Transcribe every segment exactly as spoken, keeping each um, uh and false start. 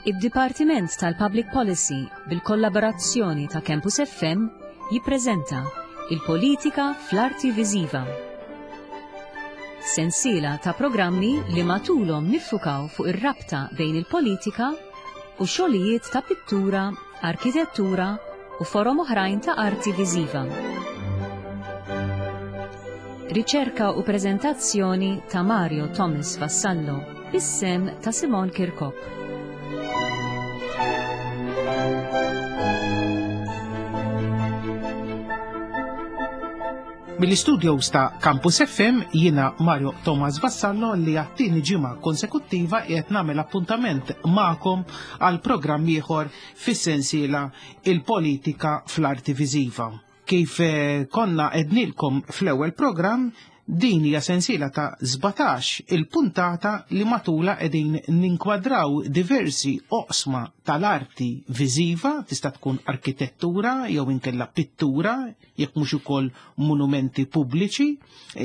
Id-Dipartiment tal-Public Policy bil-kollaborazzjoni ta' Campus F M jippreżenta Il-Politika fl-Arti Viżiva. Sensiela ta' programmi li matulhom niffukaw fuq ir-rabta bejn il-politika u xogħlijiet ta' pittura, arkitettura u forom oħrajn ta' arti viżiva. Riċerka u preżentazzjoni ta' Mario Thomas Vassallo, bis-sehem ta' Simon Kirkop. Mill-istudios ta' Campus F M jiena Mario Thomas Vassallo li għat-tieni ġimgħa konsekuttiva qiegħed nagħmel appuntament magħkom għal programm ieħor fis-sensiela Il-Politika fl-Arti Viżiva. Kif eh, konna għednilkom fl-ewwel programm, din hija sensiela ta' sbatax il-puntata li matula qegħdin ninkwadraw diversi oqsma tal-arti viżiva, tista' tkun arkitettura jew inkella pittura, jekk mhux ukoll monumenti pubbliċi,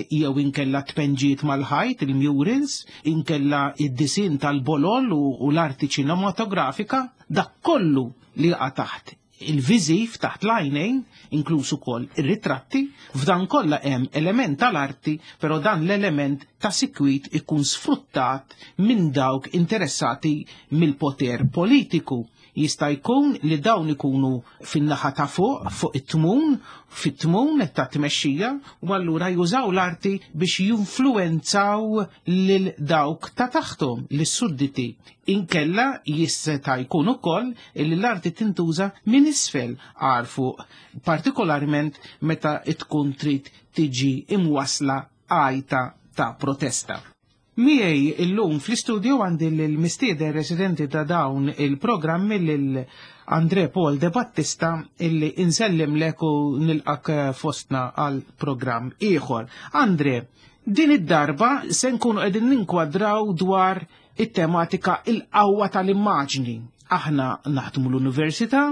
jew inkella tpenġiet mal-ħajt, il-murals, inkella id-disin tal-bolol u, u l-arti ċinematografika, dak kollu li jaqa' taħt il-viżiv, taħt l-għajnejn, inkluż ukoll ir-ritratti. F'dan kollha hemm element tal-arti, però dan l-element ta' sikwit ikun sfruttat minn dawk interessati mill-poter politiku. Jista' jkun li dawn ikunu fin-naħa ta' fuq, fuq it-tmun, fit-tmun ta' tmexxija, u allura jużaw l-arti biex jinfluwenzaw lil dawk ta' taħtom, lis-sudditi. Inkella jista' jkun ukoll li l-arti tintuża minn isfel għal fuq, partikolarment meta tkun trid tiġi imwasla għajta ta' protesta. Miegħi illum fl-istudio għandi l-mistieden residenti ta' dawn il-programmi, lil Andre Paul De Battista, illi insellim lek u nilqak fostna għal programm ieħor. Andre, din id-darba se nkunu qegħdin ninkwadraw dwar it-tematika il-qawwa tal-immaġni. Aħna naħdmu l-università,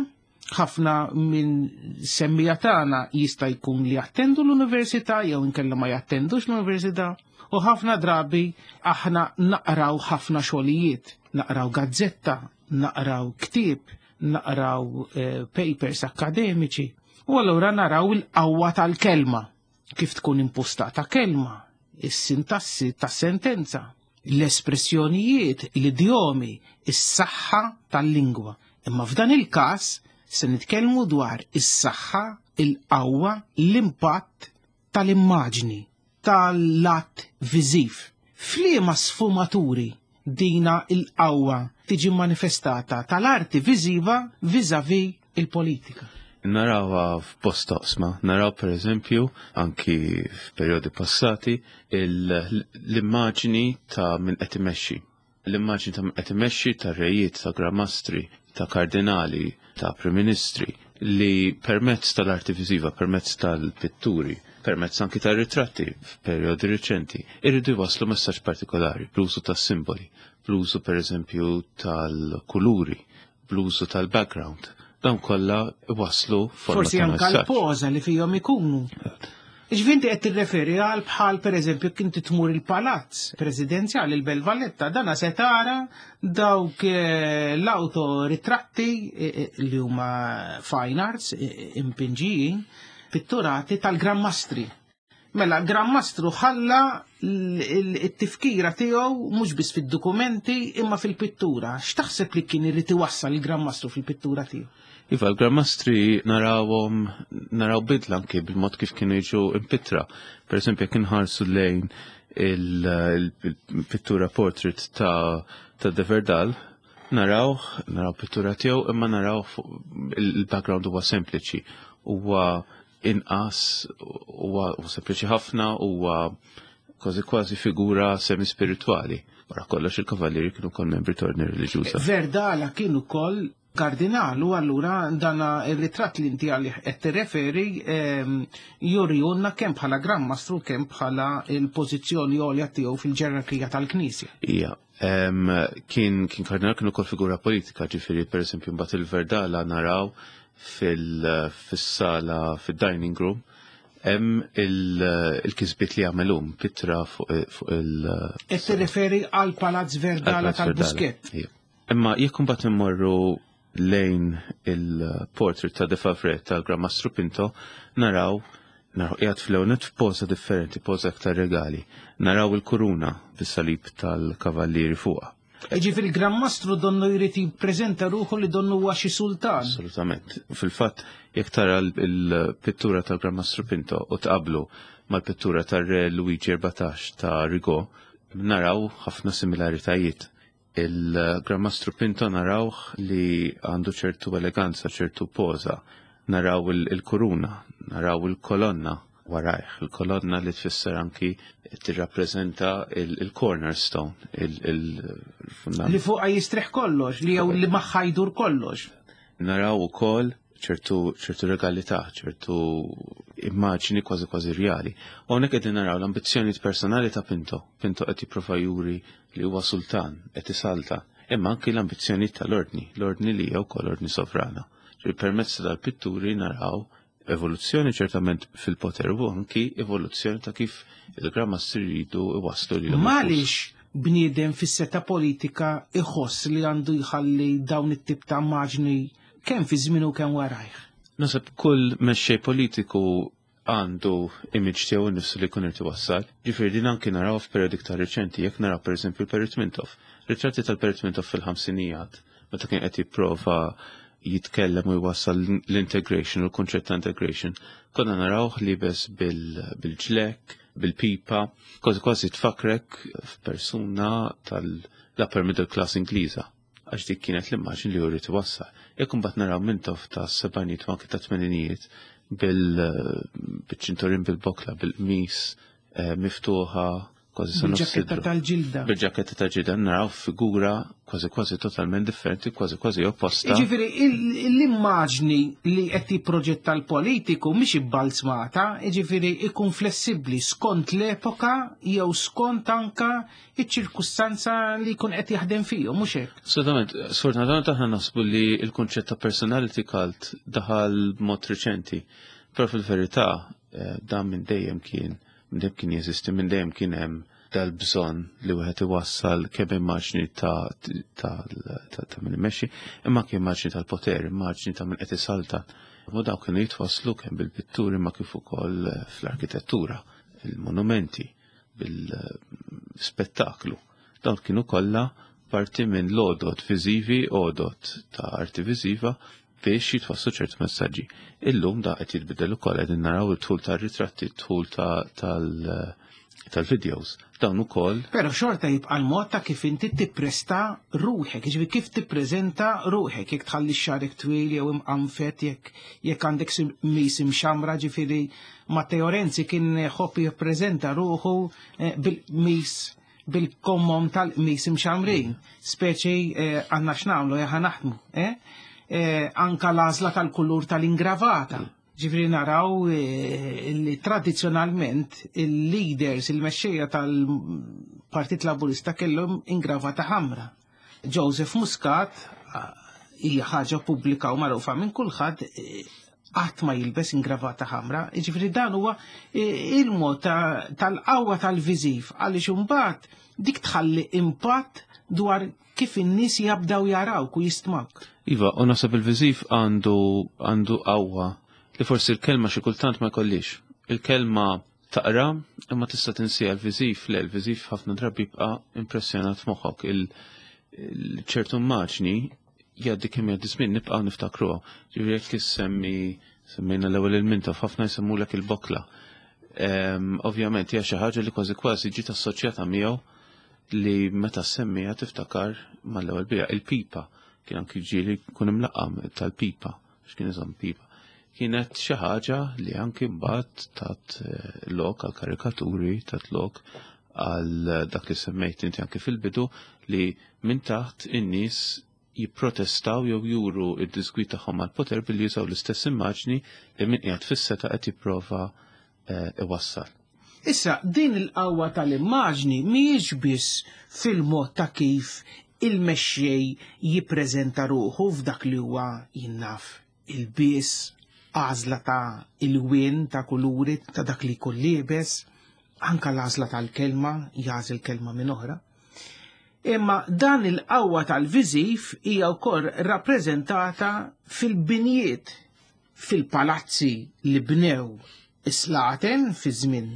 ħafna minn semmija tagħna jista' jkun li jattendu l-università jew inkella ma jattendux l-università. U ħafna drabi aħna naqraw ħafna xogħlijiet, naqraw gazzetta, naqraw ktieb, naqraw eh, papers akademiċi. U allura naraw il-qawwa tal-kelma, kif tkun impostata kelma, is-sintassi tas-sentenza, l-espressjonijiet, l-idjomi, is-saħħa tal-lingwa. Imma f'dan il-każ se nitkellmu dwar is-saħħa, il-qawwa, l-impatt tal-immaġni, tal-lat viżiv. F'liema sfumaturi dina il-qawwa tiġi manifestata tal-arti viżiva vis-à-vis il-politika? Narawha f'bosta oqsma, naraw per eżempju anki f'perjodi passati l-immaġni ta' min qed imexxi. L-immaġni ta' min qed imexxi, ta' rejiet, ta' gramastri, ta' kardinali, ta' prim-ministri, li permezz tal-arti viżiva, permezz tal-pitturi, permezz anki tal-ritratti f'perjodi riċenti, irridu jwaslu messaġġ partikolari, bl-użu tas-simboli, bl-użu per eżempju tal-kuluri, bl-użu tal-background. Dawn kollha waslu forma Forsi ta' anka messaġġ. l-poża li fihom ikunu. Ġvinti qed tirreferi għal bħal per eżempju kien tmur il-palazz presidenzjali, il-Belt Valletta, dana se tara dawk eh, l-autoritratti eh, eh, li huma fine arts, impinġijin, pitturati tal-Gran Mastri. Mela, Gran Mastru ħalla l-tifkira tiegħu mhux biss fid-dokumenti imma fil-pittura. X'taħseb li kien irid iwassal il-Gran Mastru fil-pittura tiegħu? Iva, l-Gran Mastri narawhom, naraw bidla anki bil-mod kif kienu jiġu impittra. Per eżempju, jekk inħarsu lejn il-pittura portrait ta' ta' De Verdal, naraw, naraw pittura tiegħu, imma naraw il-background huwa sempliċi, huwa inqas, huwa sempliċi ħafna, huwa kważi kważi figura semi-spirituali. Wara kollox il-kavallieri kienu kol membri ta' ordni reliġjuża. Verdala kien ukoll kardinal u allura dana il-ritratt li inti għalih qed tirreferi ehm, jurijunna kemm bħala Gran Mastru, kemm bħala il-pożizzjoni għolja tiegħu fil-ġerarkija tal-Knisja. Ija, em, kien kien kardinal, kien ukoll figura politika, ġifieri per eżempju mbagħad il-Verdala naraw fil-sala, fil-dining room, hemm il-kisbiet li għamelhom pittra fuq il- Qed tirreferi għal Palazz Verdala tal-Buskett. Ija. Imma jekk imbagħad immorru lejn il-portrait ta' De Favre tal-Gran Mastru Pinto, naraw naraw qiegħed fl-ewnet f'poża differenti, poża aktar regali. Naraw il-kuruna bis-salib tal-kavallieri fuqha. Ġifieri il-Gran Mastru donnu jrid jippreżenta ruħu li donnu huwa xi sultan. Assolutament. Fil-fatt, jekk tara l-pittura tal-Gran Mastru Pinto u tqablu mal-pittura tar-Re Luigi erbatax ta' Rigaud, naraw ħafna similaritajiet. Il-Gran Mastru Pinto narawh li għandu ċertu eleganza, ċertu poża. Naraw il-kuruna, naraw il-kolonna warajh, il-kolonna li tfisser anki tirrappreżenta il-cornerstone, il-fundament. Li fuqha jistrieħ kollox, li jew li magħha jdur kollox. Naraw ukoll ċertu ċertu regalità, ċertu immaġni kważi kważi reali. U hawnhekk qegħdin naraw l-ambizzjonijiet personali ta' Pinto. Pinto qed jipprova juri li huwa sultan, qed isalta, imma anki l-ambizzjonijiet tal-ordni, l-ordni li hija wkoll ordni sovrana. Permezz tal-pitturi naraw evoluzzjoni ċertament fil-poter u anki evoluzzjoni ta' kif il-Gran Mastri jridu iwasslu lilhom. Għaliex bniedem fis-seta politika iħoss li għandu jħalli dawn it-tip ta' immaġni kemm fi żmien u kemm warajh? Naħseb kull mexxej politiku għandu image tiegħu nnifsu li jkun irid iwassal. Ġifieri din anki naraw f'perjodi iktar reċenti, jekk naraw pereżempju l-Perit Mintoff. Ritratti tal-Perit Mintoff fil-ħamsinijiet, meta kien qed jipprova jitkellem u jwassal l-integration, u l-konċett ta' integration, konna narawh libes bil-ġlek, bil-pipa, kważi kważi tfakrek f'persuna tal-upper middle class Ingliża, għax dik kienet l-immaġni li jrid iwassal. Jekk imbagħad naraw Mintoff ta' sebgħinijiet u anke ta' tmeninijiet bil-ċintorin bil-bokla, bil-qmis miftuħa, kważi sa nofs Bil-ġaketta sidru. tal-ġilda. Bil-ġaketta tal-ġilda naraw figura kważi kważi totalment differenti, kważi kważi opposta. Ġifieri l-immaġni li qed jipproġetta l-politiku mhix ibbalzmata, ġifieri ikun flessibbli skont l-epoka jew skont anka iċ-ċirkustanza li jkun qed jaħdem fihom, mhux hekk? Assolutament, sfortunatament aħna naħsbu li l-kunċett ta' personality cult daħal b'mod reċenti, però fil-verità eh, dan minn dejjem kien minn dejjem kien jeżisti, minn dejjem kien hemm dal-bżonn li wieħed iwassal kemm immaġni ta' ta' ta' ta' min imexxi, imma anke immaġni tal-poter, immaġni ta' min qed isaltan. U dawk kienu jitwasslu kemm bil-pitturi ma kif ukoll fl-arkitettura, il-monumenti, bil-spettaklu. Dawn kienu kollha parti minn l-għodod viżivi, għodod ta' arti viżiva biex jitwasslu ċertu messaġġi. Illum da qed jitbidel ukoll, qegħdin naraw it-tul tar-ritratti, it-tul tal- tal-videos. Dawn ukoll. Però xorta jibqa' l-mod ta' kif inti tippresta ruħek, jiġifieri kif tippreżenta ruħek, jekk tħalli xagħrek twil jew imqanfet, jekk jekk għandek qmis imxamra, ġifieri Matteo Renzi kien ħobb jippreżenta ruħu eh, bil-qmis, bil-kommom tal-qmis imxamrin, speċi eh, għandna x'nagħmlu jaħa naħdmu. Eh? Anka l-għażla tal-kulur tal-ingravata. Ġifieri naraw li tradizzjonalment il-leaders, il-mexxejja tal-Partit Laburista kellhom ingravata ħamra. Joseph Muscat hija ħaġa pubblika u magħrufa minn kulħadd, qatt ma jilbes ingravata ħamra. Ġifieri dan huwa il-mod tal-qawwa tal-viżiv, għaliex imbagħad dik tħalli impatt dwar kif in-nies jabdaw jarawk u jistmak. Iva, u naħseb il-viżiv għandu għandu qawwa li forsi l-kelma xi kultant ma jkollix. Il-kelma taqra imma tista' tinsija, l-viżiv le, l-viżiv ħafna drabi jibqa' impressjonat f'moħħok. Il-ċertu immaġni jgħaddi kemm jgħaddi żmien nibqgħu niftakruha. Ġifieri jekk issemmi semmejna l-ewwel il-Mintoff, ħafna jsemmulek il-bokla. Ovvjament hija xi ħaġa li kważi kważi ġiet assoċjata miegħu li meta semmija tiftakar mal-ewwel bija. Il-pipa kien anki ġieli jkun imlaqqam tal-pipa, x'kien iżomm pipa. Kienet xi ħaġa li anki mbagħad tat lok għal karikaturi, tat lok għal dak li semmejt inti anki fil-bidu li minn taħt in-nies jipprotestaw jew juru id-disgwid tagħhom għall-poter billi jużaw l-istess immaġni li min qiegħed fis-seta qed jipprova iwassal. Issa, din il-qawwa tal-immaġni mhijiex biss fil-mod ta' kif il-mexxej jippreżenta ruħu f'dak li huwa jinnaf il-biss, għażla ta' il-wien ta' kuluri ta' dak li jkun liebes, anka l-għażla tal-kelma, jagħżel kelma minn oħra. Imma dan il-qawwa tal-viżiv hija wkoll rappreżentata fil-binjiet, fil-palazzi li bnew is-slaten fi żmien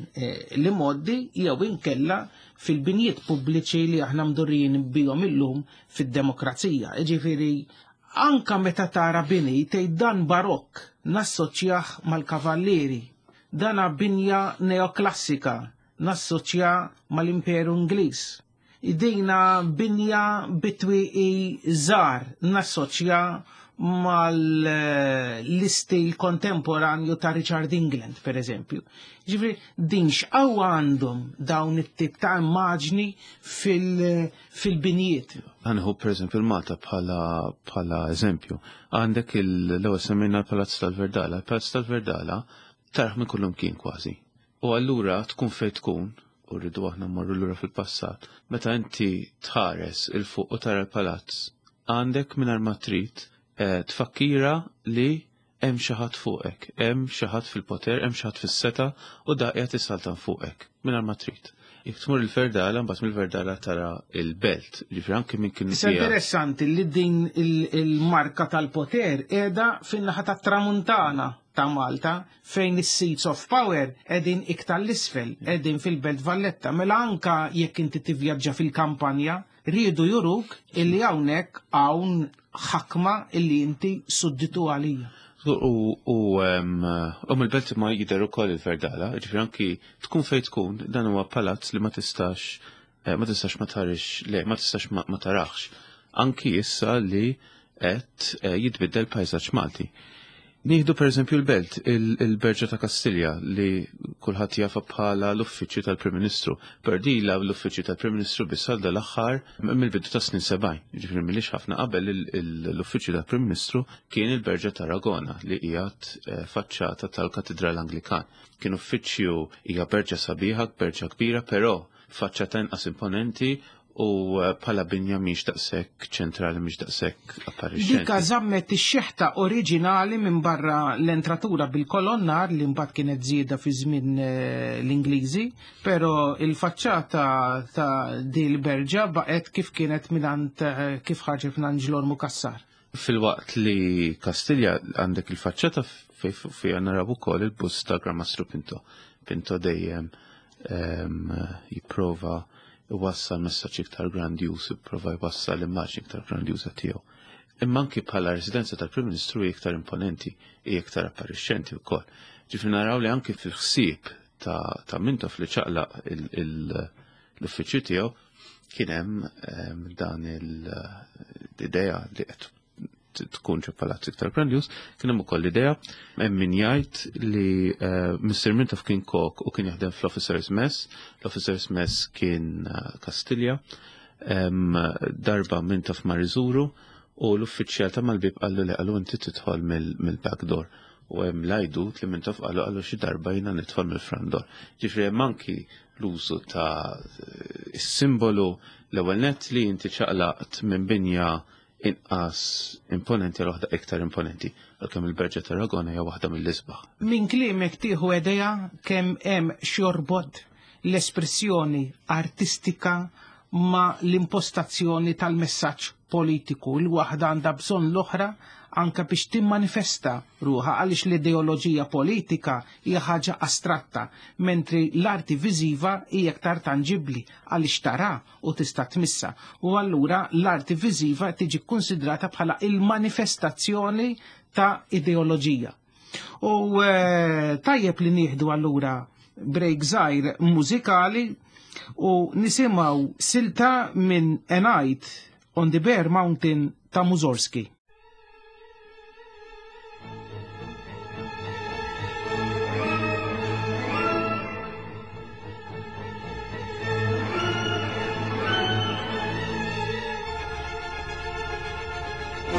li moddi jew inkella fil-binjiet pubbliċi li aħna mdurrijin bihom illum fid-demokrazija. Jiġifieri anka meta tara bini tgħid dan barokk nassoċjah mal-kavallieri, dana binja neoklassika nassoċja mal-Imperu Ingliż. Dina binja bitwieqi żgħar nassoċja mal-istil kontemporanju ta' Richard England, per eżempju. Ġifieri, din x'qawwa għandhom dawn it-tip ta' immaġni fil-binjiet. Għanħu per eżempju l-Malta bħala eżempju. Għandek l-ewwel semmejna l-Palazz tal-Verdala. Il-Palazz tal-Verdala taraħ minn kullum kien kważi. U allura tkun fejn tkun, u rridu aħna mmorru lura fil-passat, meta inti tħares il-fuq u tara l-palazz, għandek mingħajr ma trid tfakkira li hemm xi ħadd fuqek, hemm xi ħadd fil-poter, hemm xi ħadd fis-seta u da qiegħed issaltan fuqek mingħajr ma trid. Jekk tmur il-Verdala, mbagħad mill-Verdala tara il-belt, ġifieri anke minn kien. Issa interessanti li din il-marka tal-poter qiegħda fin-naħa tat-Tramuntana ta' Malta, fejn is-seats of power qegħdin iktar l-isfel, qegħdin fil-Belt Valletta. Mela anka jekk inti tivvjaġġa fil-kampanja, rridu juruk illi hawnhekk hawn ħakma illi inti sudditu għalija. U mill-belt ma jidher ukoll il-Verdala, ġifieri anki tkun fejn tkun, dan huwa palazz li ma tistax ma tistax ma tarix, le, ma tistax ma tarax. Anki issa li qed jitbiddel pajsaġġ Malti. Nieħdu per eżempju l-belt, il-Berġa ta' Kastilja li kulħadd jafa bħala l-uffiċċju tal-Prim Ministru. Per dila l-uffiċċju tal-Prim Ministru biss għal dal-aħħar mill-bidu ta' snin sebgħin. Jiġifieri milix ħafna qabel l-uffiċċju tal-Prim Ministru kien il-Berġa ta' Aragona li qiegħed faċċata tal-Katedral Anglikan. Kien uffiċċju hija berġa sabiħa, berġa kbira, però faċċata inqas imponenti u bħala binja mhix daqshekk ċentrali, mhix daqshekk apparixxenti. Dika żammet ix-xeħta oriġinali minn barra l-entratura bil-kolonnar li mbagħad kienet żieda fi żmien l-Ingliżi, però il-faċċata ta' di l-berġa baqgħet kif kienet mingħand kif ħarġet minn Ġlormu Cassar. Fil-waqt li Kastilja għandek il-faċċata fejn naraw ukoll il-bust ta' Gran Mastru Pinto. Pinto dejjem jipprova jwassal messaġġ iktar grandjuż, jipprova jwassal immaġni iktar grandjuża tiegħu. Imma anki bħala residenza tal-Prim Ministru hija iktar imponenti, hija iktar apparixxenti wkoll. Ġifieri naraw li anki fil-ħsieb ta' Mintoff li ċaqlaq l-uffiċċju tiegħu kien hemm dan l-idea li qed tkun ġo palazz iktar grandjuż, kien hemm ukoll l-idea hemm min jgħid li Mister Mintoff kien kok u kien jaħdem fl-Officers Mess, l-Officers Mess kien Kastilja, darba Mintoff mar iżuru u l-uffiċjal ta' mal-bib qallu li qallu inti tidħol mill-back door. U hemm l-għajdut li Mintoff qallu qallu xi darba jiena nidħol mill-front door. Ġifieri hemm anki l-użu ta' is-simbolu l-ewwel nett li inti ċaqlaqt minn binja inqas imponenti għal waħda iktar imponenti, għalkemm il-Berġa ta' Aragona hija waħda mill-isbaħ. Min kliemek tieħu idea kemm hemm xjorbot l-espressjoni artistika ma l-impostazzjoni tal-messaġġ politiku. Il-waħda għandha bżonn l-oħra anka biex timmanifesta ruħha, għaliex l-ideoloġija politika hija ħaġa astratta, mentri l-arti viżiva hija aktar tanġibbli għaliex tara u tista' tmissa. U allura l-arti viżiva tiġi kkunsidrata bħala il-manifestazzjoni ta' ideoloġija. U tajjeb li nieħdu allura break żgħir mużikali u nisimgħu silta minn A Night on the Bare Mountain ta' Mussorgsky.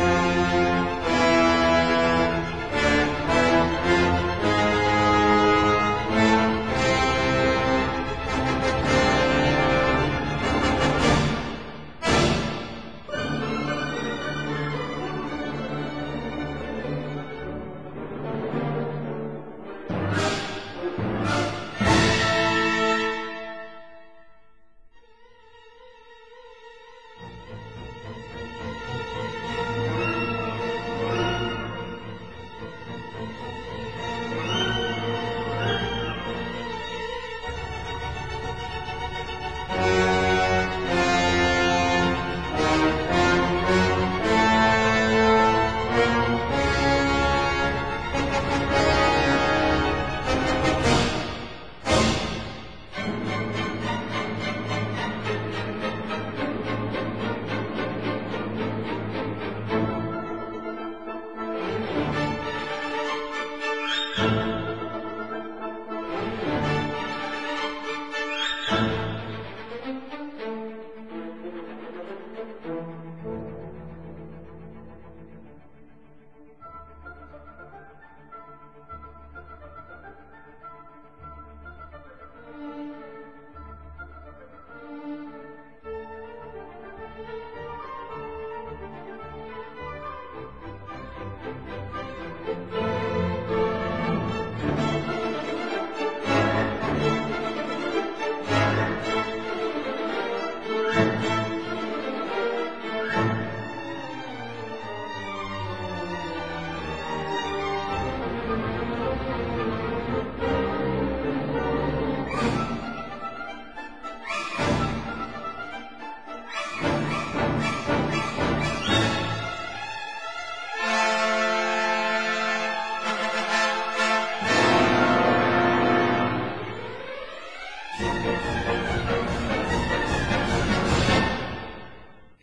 Thank you.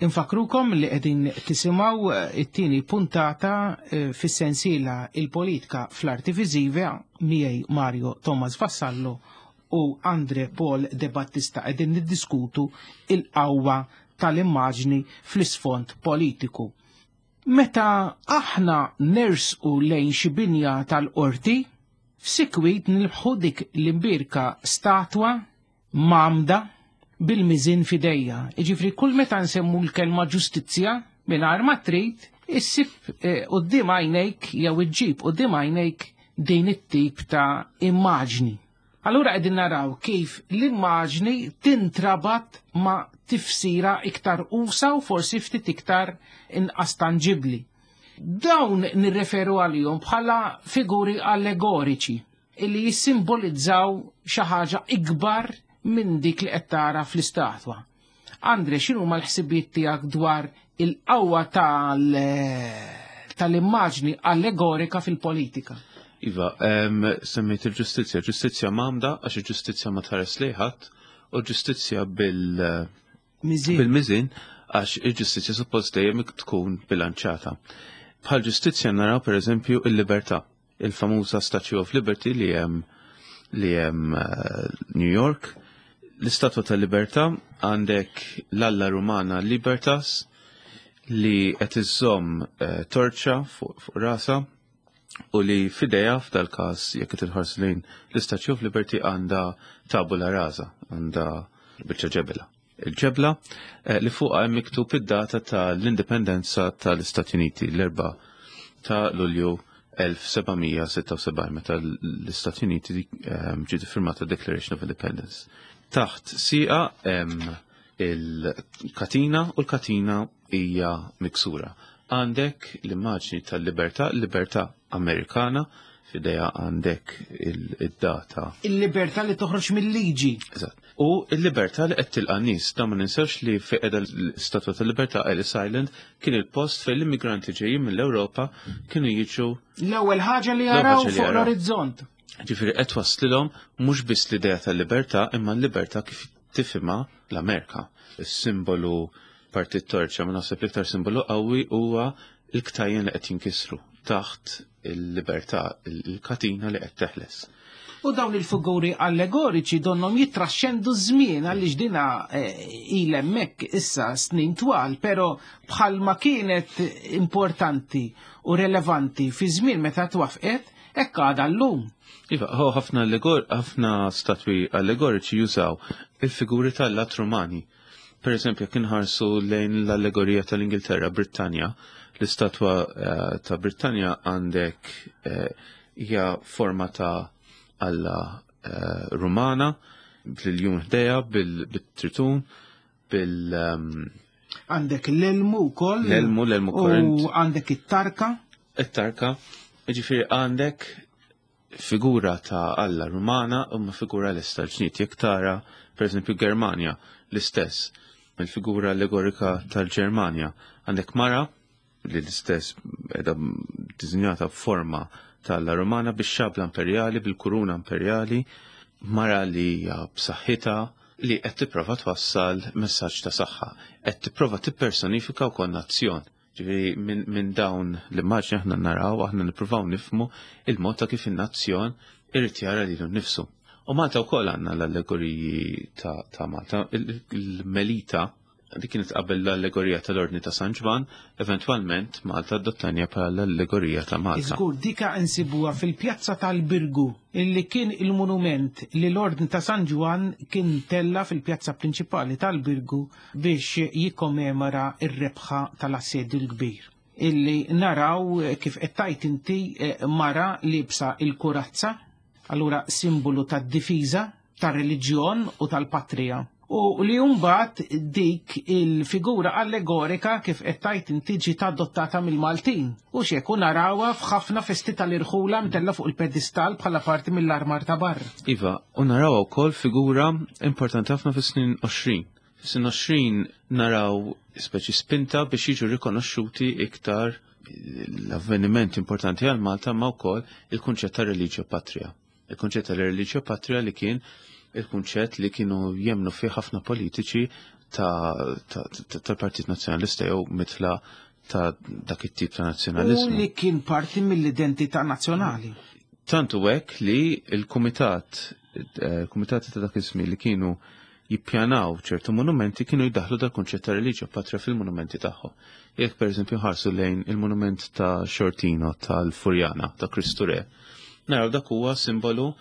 Infakrukom li qegħdin tisimgħu it-tieni puntata fis-sensiela Il-Politika fl-Arti Viżiva miegħi Mario Thomas Vassallo u Andre Paul De Battista qegħdin niddiskutu il-qawwa tal-immaġni fl-isfond politiku. Meta aħna nersqu lejn xi binja tal-qorti, sikwit nilbħu dik l-imbirka statwa mamda bil-miżin fidejja. Jiġifieri kull meta nsemmu l-kelma ġustizzja mingħajr ma trid, issib quddiem għajnejk jew iġġib quddiem għajnejk din it-tip ta' immaġni. Allura qegħdin naraw kif l-immaġni tintrabat ma' tifsira iktar usa u forsi ftit iktar inqas tanġibbli. Dawn nirreferu għalihom bħala figuri allegoriċi illi jissimbolizzaw xi ħaġa ikbar minn dik li qed tara fl-istatwa. Andre, x'inhu ma l-ħsibijiet tiegħek dwar il-qawwa tal-immaġni allegorika fil-politika? Iva, semmejt il-ġustizzja. Ġustizzja m'għamda għax il-ġustizzja ma tħares lejn u ġustizzja bil-miżin għax il-ġustizzja suppost dejjem tkun bilanċata. Bħal ġustizzja naraw pereżempju il-libertà, il-famuża Statue of Liberty li hemm li hemm New York. L-Istatwa tal-Libertà għandek l-alla Rumana Libertas li qed iżżomm torċa fuq rasa u li f'idejha f'dal-każ jekk qed inħarsu lejn l-Statue of Liberty għandha tabula rasa, għandha biċċa ġebla. Il-ġebla li fuqha hemm miktub id-data tal-Indipendenza tal-Istati Uniti, l-erba' ta' Lulju elf seba' mija sitta u sebgħin, meta l-Istati Uniti ġiet iffirmata Declaration of Independence. Taħt sieqa hemm il-katina u l-katina hija miksura. Għandek l-immaġni tal-libertà, l-libertà Amerikana, f'idejha għandek id-data. Il-libertà li toħroġ mill-liġi. Eżatt. U l-libertà li qed tilqa' nies, dan ma ninsewx li fejn qiegħda l-Istatwa tal-Libertà Ellis Island kien il-post fejn l-immigranti ġejjin mill-Ewropa kienu jiġu l-ewwel ħaġa li jaraw fuq l-orizzont. Ġifieri qed twaslilhom mhux biss l-idea tal-libertà imma l-libertà kif tifhimha l-Amerika. Is-simbolu partit torċa, ma naħseb l-iktar simbolu qawwi huwa l-ktajjen li qed jinkisru taħt il-libertà, il-katina li qed teħles. U dawn il-figuri allegoriċi donhom jitraxxendu żmien għaliex dina il hemmhekk issa snin twal, però bħalma kienet importanti u relevanti fi żmien meta twafqet, hekk għadha llum. Iva, ho ħafna allegor, ħafna statwi allegoriċi jużaw il-figuri tal-lat Rumani. Per eżempju, jekk inħarsu lejn l-allegorija tal-Ingilterra, Brittanja, l-istatwa ta' Brittanja għandek hija forma ta' alla Rumana, bil-jum ħdejja, bil-tritun, bil... Għandek l-elmu wkoll. L-elmu, l-elmu korrent. U għandek it-tarka. It-tarka. Ġifieri għandek figura ta' alla Rumana u ma figura l-istess ġnit. Jekk tara, per eżempju, Germanja, l-istess, il-figura allegorika tal-Ġermanja. Għandek mara li l-istess qiegħda dizinjata b'forma tal-alla Rumana bix-xabla imperjali, bil-kuruna imperjali, mara li hija b'saħħitha li qed tipprova twassal messaġġ ta' saħħa, qed tipprova tippersonifika wkoll nazzjon. Ġifieri minn min dawn l-immaġni aħna naraw, aħna nippruvaw nifhmu il-mod ta' kif in-nazzjon irid jara lilu nnifsu. U Malta wkoll għandna l-allegoriji ta', ta' Malta. Il-Melita, dik kienet qabel l-allegorija tal-Ordni ta' San Ġwann, eventwalment Malta adottanja bħala l-allegorija ta' Malta. Iżgur, dika insibuha fil-pjazza tal-Birgu, illi kien il-monument li l-Ordni ta' San Ġwann kien tella fil-pjazza prinċipali tal-Birgu biex jikkommemora r-rebħa tal-Assedju l-Kbir. Illi naraw kif qed tgħid inti mara libsa il-kurazza, allura simbolu tad-difiża, tar-reliġjon u tal-patrija. U li mbagħad dik il-figura allegorika kif qed tgħid inti ġiet adottata mill-Maltin. U x'jekk narawha f'ħafna festi tal-irħula mtella fuq il-pedestal bħala parti mill-armar ta' barra. Iva, u naraw ukoll figura importanti ħafna fis-snin għoxrin. Fis-snin għoxrin naraw speċi spinta biex jiġu rikonoxxuti iktar l-avveniment importanti għal Malta ma wkoll il-kunċett ta' religio patria. Il-kunċett ta' religio patria li kien il-kunċett li kienu jemnu fih ħafna politiċi tal-Partit Nazzjonalista jew mitla ta' dak it-tip ta' nazzjonalizmu. U li kien parti mill-identità nazzjonali. Tantu hekk li il-kumitat, il-kumitati ta' dak iż-żmien li kienu jippjanaw ċertu monumenti kienu jdaħlu dal-kunċett ta' religio patria fil-monumenti tagħhom. Jekk pereżempju ħarsu lejn il-monument ta' Sciortino tal-Furjana ta' Kristu Re, naraw dak huwa simbolu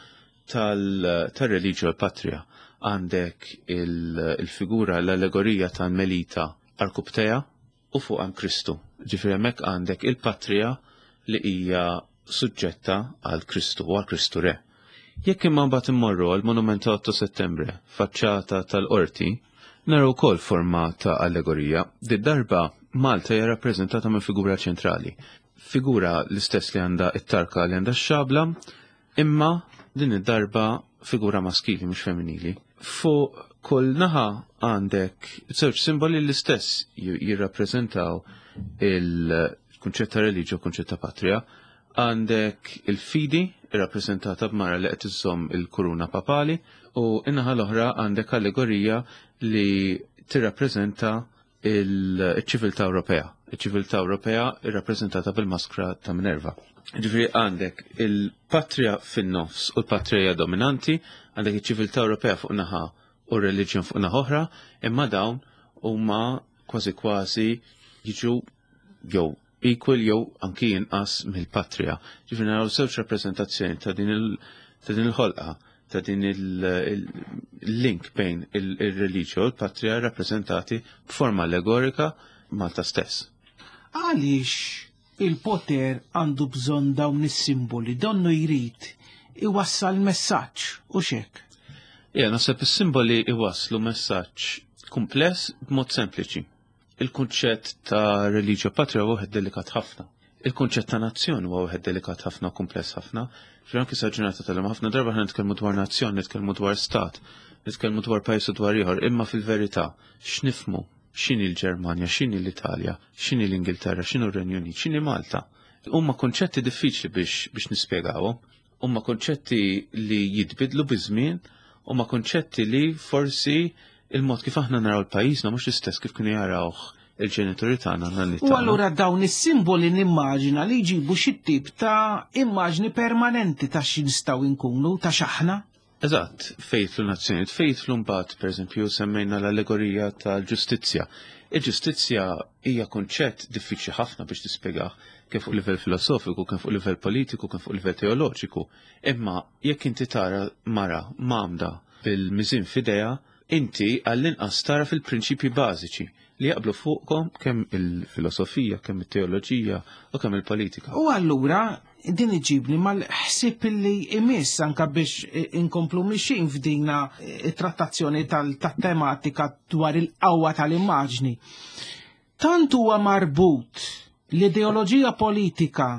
tal-religio patria. Għandek il-figura, l-allegorija ta' Melita Arkuptea u fuq għan Kristu. Ġifieri hemmhekk għandek il-patria li hija suġġetta għal Kristu u għal Kristu Re. Jekk imma mbagħad immorru għal monument ta' otto Settembre, faċċata tal-qorti, naraw ukoll forma ta' allegorija. Di darba Malta hija rappreżentata minn figura ċentrali. Figura l-istess li għandha it-tarka li għandha x-xabla, imma din id-darba figura maskili mhux femminili. Fuq kull naħa għandek żewġ simboli l-istess jirrappreżentaw il-kunċett ta' religio u kunċett ta' patria. Għandek il-fidi irrappreżentata b'mara li qed iżżomm il-kuruna papali u in-naħa l-oħra għandek allegorija li tirrappreżenta il-ċiviltà Ewropea. Il-ċiviltà Ewropea irrappreżentata bil-maskra ta' Minerva. Ġifieri għandek il-patria fin-nofs u l-patria dominanti, għandek iċ-ċiviltà Ewropea fuq naħa u r-reliġjon fuq naħa oħra, imma dawn huma kważi kważi jiġu jew equal jew anki inqas mill-patria. Ġifieri naraw żewġ rappreżentazzjoni ta' din il-ħolqa, ta' din il-link bejn il-reliġjon u l-patria rappreżentati b'forma allegorika Malta stess. Għaliex il-poter għandu bżonn dawn is-simboli, donnu jrid iwassal messaġġ u xek. Ja, naħseb is-simboli iwasslu messaġġ kumpless b'mod sempliċi. Il-kunċett ta' religio patria huwa wieħed delikat ħafna. Il-kunċett ta' nazzjon huwa wieħed delikat ħafna u kumpless ħafna. Anki sa ġurnata tal-lum ħafna darba ħna nitkellmu dwar nazzjon, nitkellmu dwar stat, nitkellmu dwar pajjiż u dwar ieħor, imma fil-verità x'nifmu x'inhi l-Ġermanja, x'inhi l-Italja, x'inhi l-Ingilterra, x'inhu r-Renju Unit, x'inhi Malta. Huma konċetti diffiċli biex biex nispjegawhom, huma konċetti li jitbidlu biż-żmien, huma konċetti li forsi il-mod kif aħna naraw l-pajjiżna mhux l-istess kif kienu jarawh il-ġenituri tagħna nanni U allura dawn is-simboli nimmaġina li jġibu xi tip ta' immaġni permanenti ta' xi nistgħu nkunu, ta' x'aħna. Eżatt, fejtlu nazzjonijiet, fejtlu mbagħad pereżempju semmejna l-allegorija tal-ġustizzja. Il-ġustizzja hija kunċett diffiċli ħafna biex tispjegah kemm fuq livell filosofiku, kemm fuq livell politiku, kemm fuq livell teoloġiku. Imma jekk inti tara mara mamda bil-miżin f'idejha, inti għall-inqas tara fil-prinċipji bażiċi li jaqblu fuqkom kemm il-filosofija, kemm it-teoloġija u kemm il-politika. U allura din iġibni mal-ħsieb li imiss anka biex inkomplu mixin f'dina trattazzjoni tal-tematika dwar il-qawwa tal-immaġni. Tant huwa marbut l-ideoloġija politika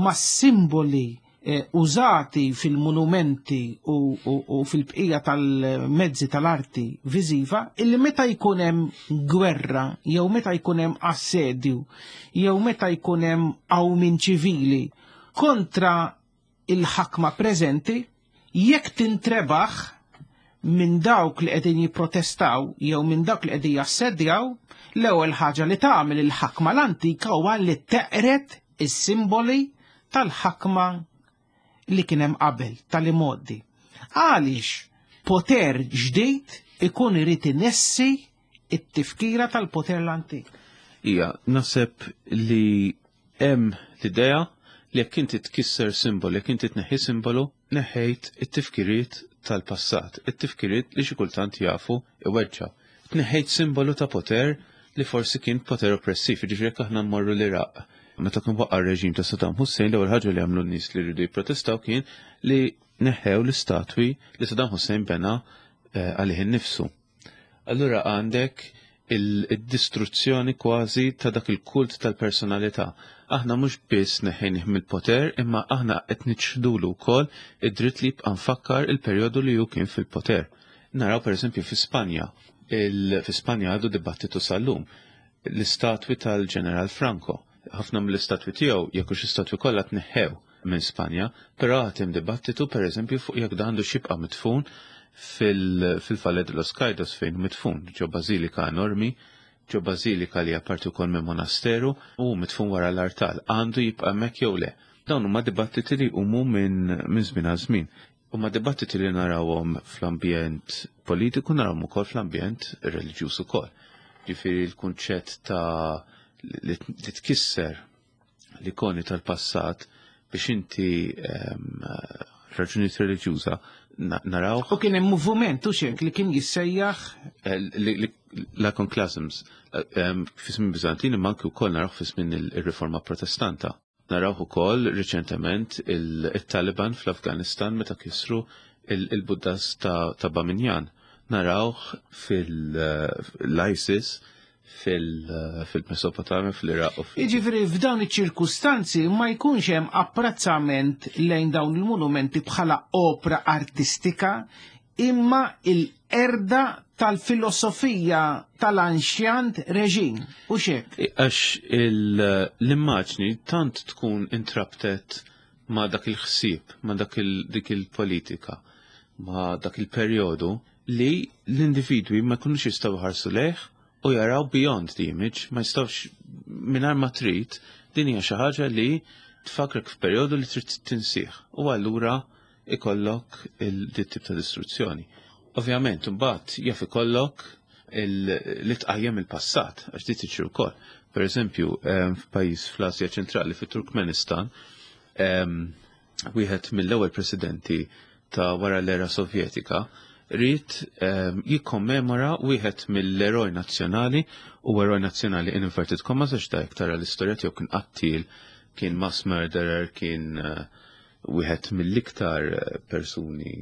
ma' simboli użati fil-monumenti u, u, u fil-bqija tal-mezzi tal-arti viżiva, illi meta jkun hemm gwerra, jew meta jkun hemm assedju, jew meta jkun hemm qawmien ċivili kontra il-ħakma preżenti, jekk tintrebaħ minn dawk li qegħdin jipprotestaw jew minn dawk li qegħdin jassedjaw, l-ewwel ħaġa li tagħmel il-ħakma l-antika huwa li teqret is-simboli tal-ħakma li kien hemm qabel, tal-imoddi. Għaliex poter ġdid ikun irid inessi it-tifkira tal-poter l-antik. Ija, naħseb li hemm l-idea li jekk inti tkisser simbolu, jekk inti tneħħi simbolu, neħħejt it-tifkiriet tal-passat, it-tifkiriet li xi kultant jafu iweġġa. Tneħħejt simbolu ta' poter li forsi kien poter oppressiv, jiġifieri jekk aħna mmorru l-Iraq. Meta kien waqa' r-reġim ta' Saddam Hussein, l-ewwel ħaġa li għamlu n-nies li rridu jipprotestaw kien li neħħew l-istatwi li Saddam Hussein bena għalih innifsu. Allura għandek il-distruzzjoni kważi ta' dak il-kult tal-personalità. Aħna mhux biss neħħejnih mill-poter, imma aħna qed niċħdulu wkoll id-dritt li jibqa' nfakkar il-perjodu li hu kien fil-poter. Naraw pereżempju fi Spanja, fi Spanja għadu dibattitu sal-lum, l-istatwi tal-Ġeneral Franco. Ħafna mill-istatwi tiegħu jekk hux istatwi kollha tneħħew minn Spanja, però għad hemm dibattitu pereżempju fuq jekk dan għandu x'jibqa' midfun fil-Valle de los Caídos fejn midfun, ġo bażilika enormi, ġo bażilika li apparti wkoll minn monasteru u midfun wara l-artal, għandu jibqa' hemmhekk jew le. Dawn huma dibattiti li jqumu minn żmien għal żmien. Huma dibattiti li narawhom fl-ambjent politiku, narawhom ukoll fl-ambjent reliġjuż ukoll. Ġifieri l-kunċett ta' li tkisser l-ikoni tal-passat biex inti raġunijiet reliġjuża naraw. U kien hemm moviment u xek li kien jissejjaħ l-iconoclasms fi żmien Biżantini, imma anki wkoll naraw fi żmien ir-Riforma Protestanta. Naraw ukoll riċentement il-Taliban fl-Afganistan meta kisru il-Buddas ta' Bamiyan. Naraw fil-ISIS fil-Mesopotamja, fil-Iraq. Jiġifieri f'dawn iċ-ċirkustanzi ma jkunx hemm apprezzament lejn dawn il-monumenti bħala opra artistika, imma il-erda tal-filosofija tal-anxjant reġim. U xek? Għax l-immaġni tant tkun intraptet ma' dak il-ħsieb, ma' dak dik il-politika, ma' dak il-perjodu li l-individwi ma jkunux jistgħu jħarsu lejh u jaraw beyond the image, ma jistgħux mingħajr ma trid, din hija xi ħaġa li tfakrek f'perjodu li trid tinsih. U allura ikollok il-tip ta' distruzzjoni. Ovvjament, imbagħad jaf ikollok li tqajjem il-passat, għax di tiġri wkoll. Per eżempju, f'pajjiż fl-Asja ċentrali, fit-Turkmenistan, wieħed mill-ewwel presidenti ta' wara l-era Sovjetika rrid jikkommemora wieħed mill-eroj nazzjonali, u eroj nazzjonali in inverted commas għax da tara l-istorja tiegħu kien qattil, kien mass murderer, kien wieħed mill-iktar persuni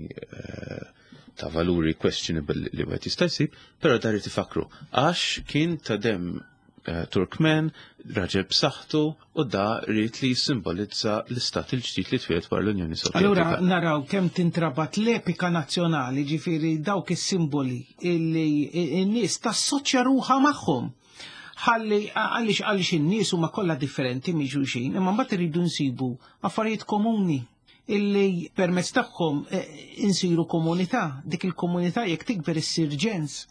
ta' valuri questionable li wieħed jista' jsib, però dar irid ifakru għax kien ta' dem Turkmen, raġel b'saħħtu, u da rrid li jissimbolizza l-istat il-ġdid li twieled wara l-Unjoni Sovjetika. Allura naraw kemm tintrabat l-epika nazzjonali, ġifieri dawk is-simboli illi n-nies tassoċja ruħha magħhom. Ħalli għaliex għaliex in-nies huma kollha differenti minn xulxin, imma mbagħad irridu nsibu affarijiet komuni illi permezz tagħhom insiru komunità. Dik il-komunità jekk tikber issir ġens,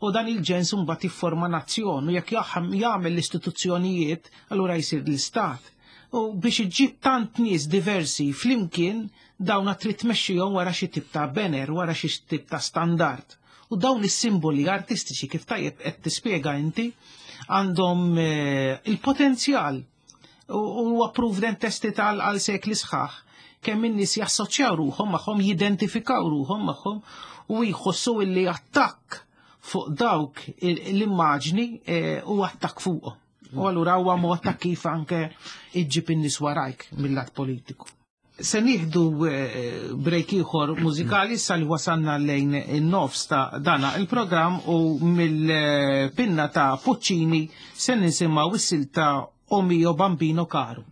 u dan il-ġens mbagħad jifforma nazzjon, u jekk jagħmel l-istituzzjonijiet allura jsir l-istat. U biex iġġib tant nies diversi flimkien, dawn trid tmexxihom wara xi tip ta' banner, wara xi tip ta' standard. U dawn is-simboli artistiċi kif tajjeb qed tispjega inti għandhom il-potenzjal u huwa proved and tested għal sekli sħaħ kemm in-nies jassoċjaw ruħhom magħhom, jidentifikaw ruħhom magħhom u jħossu illi attakk fuq dawk l-immaġni u attakk fuqhom. U allura huwa mod ta' kif anke iġġib in-nies warajk mill-lat politiku. Se nieħdu break ieħor mużikali issa li wasalna lejn in-nofs ta' dana il-programm, u mill-pinna ta' Puccini se nisimgħu is-silta O mio bambino caro.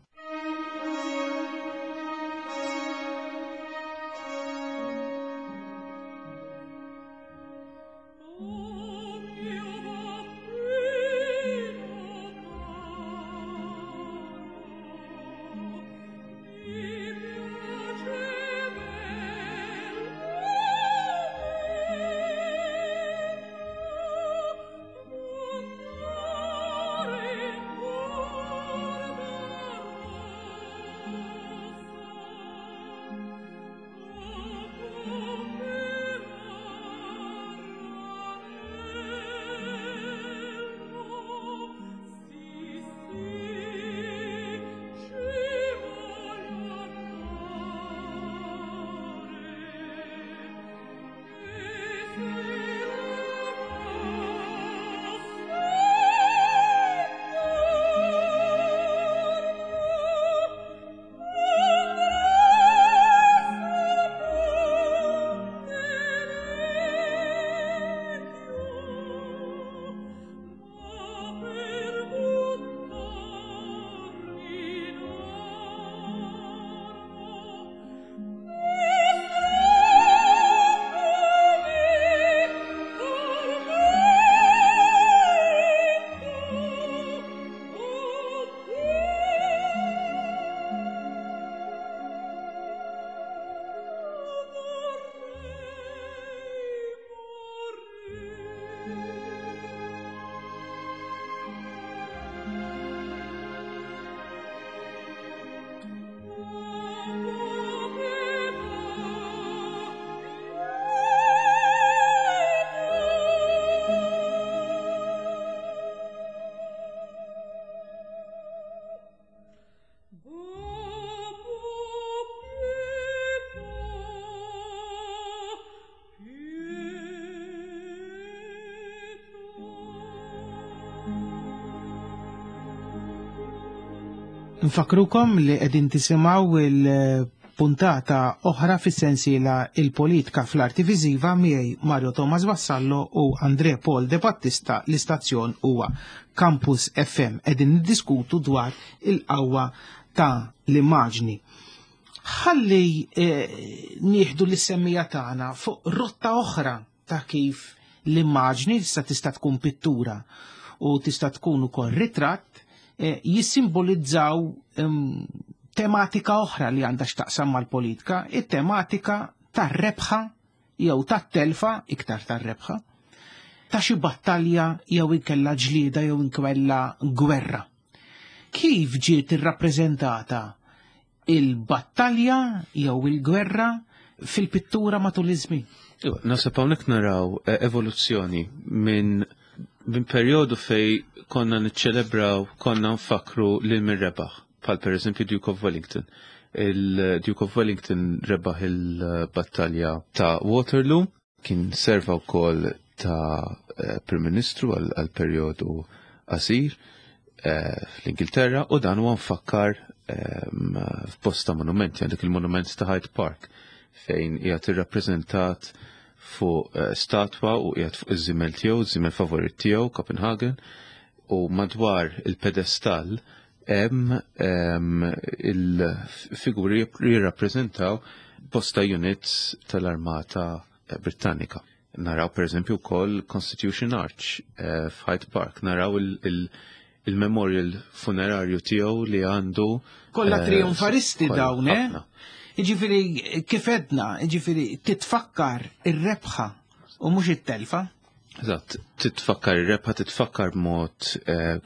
Oh, Nfakrukom li qegħdin tisimgħu il-puntata oħra fis-sensiela Il-Politika fl-Arti Viżiva miegħi Mario Thomas Vassallo u Andre Paul De Battista. L-istazzjon huwa Campus F M. Qegħdin niddiskutu dwar il-qawwa ta' l-immaġni. Ħalli eh, nieħdu l-semmija tagħna fuq rotta oħra ta' kif l-immaġni tista' tista' tkun pittura u tista' tkun ukoll ritratt, eh, jissimbolizzaw um, tematika oħra li għandha x'taqsam mal-politika, it-tematika tar-rebħa jew tat-telfa, iktar tar-rebħa, ta' xi battalja jew inkella ġlieda jew inkella gwerra. Kif ġiet irrappreżentata il-battalja jew il-gwerra fil-pittura matul iż-żmien? Naħseb hawnhekk naraw evoluzzjoni minn min perjodu fej konna niċċelebraw, konna nfakru lil min rebaħ, bħal pereżempju Duke of Wellington. Il-Duke of Wellington rebaħ il-battalja ta' Waterloo, kien serva wkoll ta' Prim Ministru għal perjodu qasir fl-Ingilterra, u dan huwa mfakkar f'bosta monumenti. Għandek il-monument ta' Hyde Park fejn qiegħed irrappreżentat fuq statwa u qiegħed fuq iż-żimel tiegħu, iż-żimel favorit tiegħu, Copenhagen, u madwar il-pedestall hemm il-figuri jirrappreżentaw bosta units tal-Armata Britannika. Naraw pereżempju wkoll Constitution Arch f'Hyde Park, naraw il-memorial funerarju tiegħu li għandu. Kollha trionfalisti dawn, eh? Jiġifieri kif edna, jiġifieri titfakkar ir-rebħa u mhux it-telfa. Eżatt, titfakkar ir-rebħa, titfakkar b'mod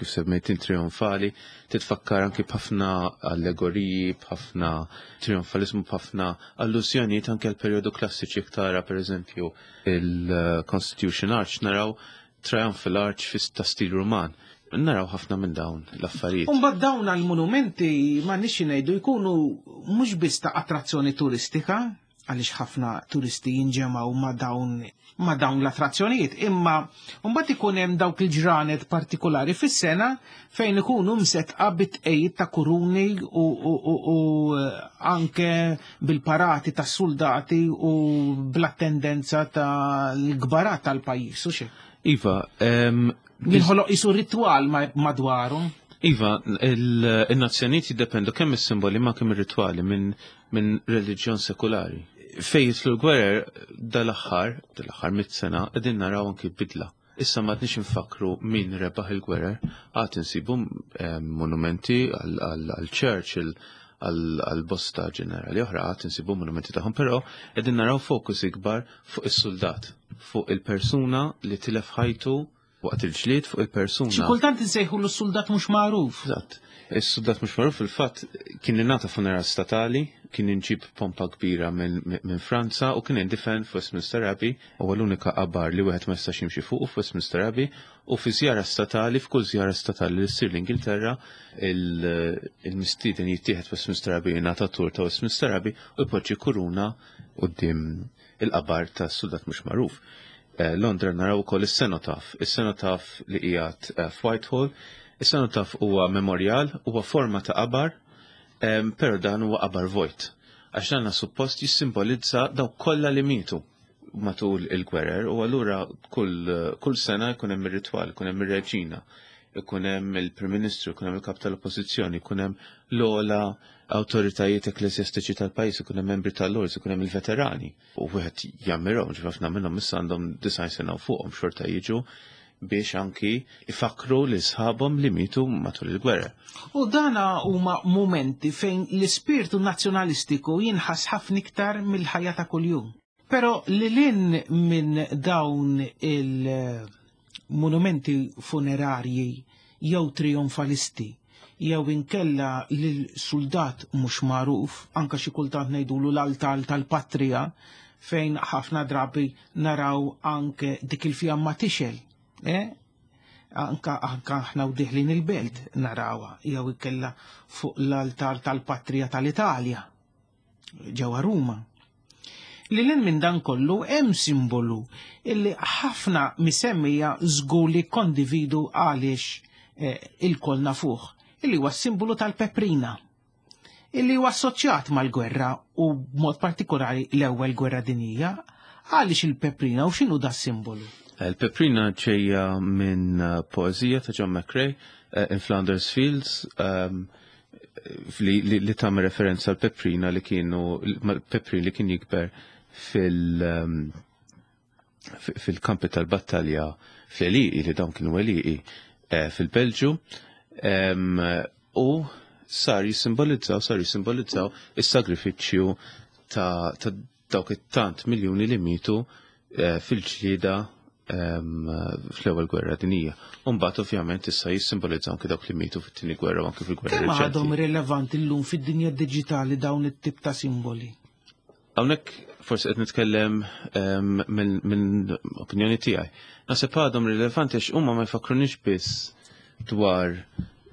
kif semmejt trionfali, titfakkar anki b'ħafna allegoriji, b'ħafna trionfalizmu, b'ħafna allużjonijiet anke għal perjodu klassiċi. Tara pereżempju il-Constitution Arch, naraw Triumphal Arch ta' stil Ruman. Naraw ħafna minn dawn l-affarijiet. Umbagħad dawn għall-monumenti ma nixi ngħidu jkunu mhux biss ta' attrazzjoni turistika, għaliex ħafna turisti jinġemgħu ma' dawn ma' dawn l-attrazzjonijiet, imma mbagħad ikun hemm dawk il-ġranet partikolari fis-sena fejn ikunu msetqa bit-tqejjid ta' kuruni u, u, u, u anke bil-parati tas-soldati u bl-attendenza tal-gbarat tal-pajjiż u xi. Iva, jinħoloq isu ritwal madwarhom. Iva, il-nazzjonijiet jiddependu kemm is-simboli ma kemm ir-ritwali minn min reliġjon sekulari. Fejn jitlu l-gwerer dal-aħħar, dal-aħħar mit sena, qegħdin naraw anki bidla. Issa ma qedniex infakru min rebaħ il-gwerer, għad insibu monumenti għal Churchill, għal bosta ġenerali oħra, għad insibu monumenti tagħhom, però qegħdin naraw fokus ikbar fuq is-soldat, fuq il-persuna li tilef ħajtu waqt il-ġlied, fuq il-persuna. Xi kultant insejħu l-soldat mhux magħruf. Eżatt. Is-soldat mhux magħruf fil-fatt kien ingħata funeral statali, kien inġib pompa kbira minn min Franza u kien indifen f'Westminster Abbey, huwa l-unika qabar li wieħed ma jistax jimxi fuq f'Westminster Abbey, u fi żjara statali, f'kull żjara statali li ssir l-Ingilterra, il-mistieden jittieħed Westminster Abbey, jingħata tur ta' Westminster Abbey u jpoġġi kuruna quddiem il-qabar tas-soldat mhux magħruf. Londra naraw ukoll is-Cenotaph, is-Cenotaph li qiegħed f'Whitehall. Is-Cenotaph huwa memorial, huwa forma ta' qabar, però dan huwa qabar vojt. Għax dan suppost jissimbolizza dawk kollha li mietu matul il-gwerer, u allura kull, kull sena jkun hemm ir-ritwal, jkun hemm ir-reġina, ikun hemm il-Prim Ministru, ikun hemm il-Kap tal-Oppożizzjoni, ikun hemm l-ogħla awtoritajiet ekklesjastiċi tal-pajjiż, ikun hemm membri tal-Lords, ikun hemm il-veterani. U wieħed jammirhom, ħafna minnhom issa għandhom disgħin sena u fuqhom xorta jiġu biex anki ifakru li sħabhom li mietu matul il-gwerra. U dana huma momenti fejn l-ispirtu nazzjonalistiku jinħass ħafna iktar mill-ħajja ta' kuljum. Però li lin minn dawn il-monumenti funerarji jew trionfalisti jew inkella lil soldat mhux magħruf, anke xi kultant ngħidulu l-altar tal-patrija, fejn ħafna drabi naraw anke dik il-fjamma tixel, eh? Anka anka aħna u diħlin il-belt narawha, jew inkella fuq l-altar tal-patrija tal-Italja ġewwa Ruma. Li lin minn dan kollu hemm simbolu illi ħafna misemmija żgur li kondividu għaliex eh, il-koll nafuh. illi huwa simbolu tal-peprina, illi huwa assoċjat mal-gwerra u b'mod partikolari l-ewwel gwerra dinjija. Għaliex il-peprina u x'inhu da simbolu? Il-peprina ġejja minn poeżija ta' John McCrae, In Flanders Fields, um, li, li, li tagħmel referenza għal peprina li kienu peprin li kien jikber fil um, fil-kampi tal-battalja fl-għelieqi, li dawn kienu għelieqi eh, fil-Belġu, um, u sar jissimbolizzaw, sar jissimbolizzaw is-sagrifiċċju ta', ta dawk it-tant miljuni li mietu eh, fil-ġlieda um, fl-ewwel gwerra dinjija. U mbagħad ovvjament issa jissimbolizzaw anke dawk li mietu fit-tieni gwerra u anke fil-gwerra Kemm reċenti. għadhom rilevanti llum fid-dinja diġitali dawn it-tip ta' simboli? Hawnhekk forsi qed nitkellem um, minn min opinjoni tiegħi. Naħseb għadhom rilevanti għax huma ma jfakkrunix biss dwar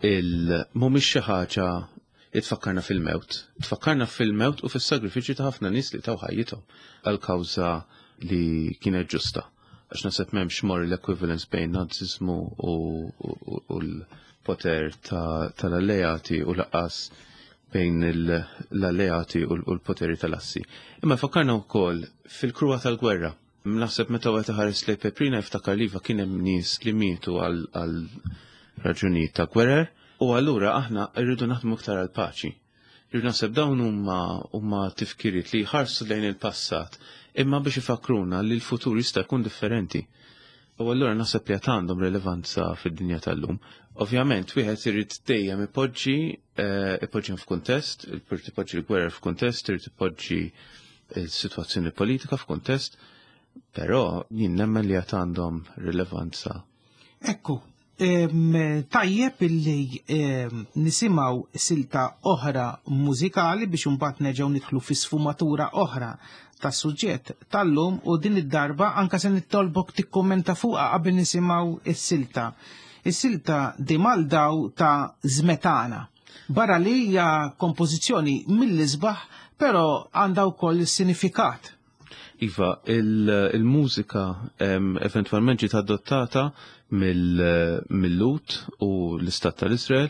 il mhumiex xi ħaġa li tfakkarna fil-mewt. Tfakkarna fil-mewt u fis-sagrifiċċju ta' ħafna nies li taw ħajjithom għal kawża li kienet ġusta. Għax naħseb m'hemmx moral equivalence bejn naziżmu u, u, u l-poter tal-alleati u lanqas bejn l-alleati u l-poteri tal-assi. Imma fakkarna wkoll fil-kruha tal-gwerra. Naħseb meta wieħed iħares lejn Peprina jiftakar li kien hemm nies li mietu għal raġunijiet ta' gwerer, u allura aħna rridu naħdmu iktar għal paċi. Rridu naħseb dawn huma huma tifkiriet li jħarsu lejn il-passat, imma biex ifakruna li l-futur jista' jkun differenti. U allura naħseb li għad għandhom rilevanza fid-dinja tal-lum. Ovvjament, wieħed irid dejjem ipoġġi ipoġġi f'kuntest, irid ipoġġi l-gwerra f'kuntest, irid ipoġġi l-sitwazzjoni politika f'kuntest, però jien nemmen li għad għandhom rilevanza. Ekku, tajjeb illi nisimgħu silta oħra mużikali biex imbagħad nerġgħu nidħlu fi sfumatura oħra tas-suġġett tal-lum, u din id-darba anka se nittolbok tikkummenta fuqha qabel nisimgħu is-silta. Is-silta Di Maldaw ta' Smetana. Barra li hija kompożizzjoni mill-isbaħ, però għandha wkoll sinifikat. Iva, il-mużika eventwalment ġiet adottata mill-Lut u l-Istat tal-Israel,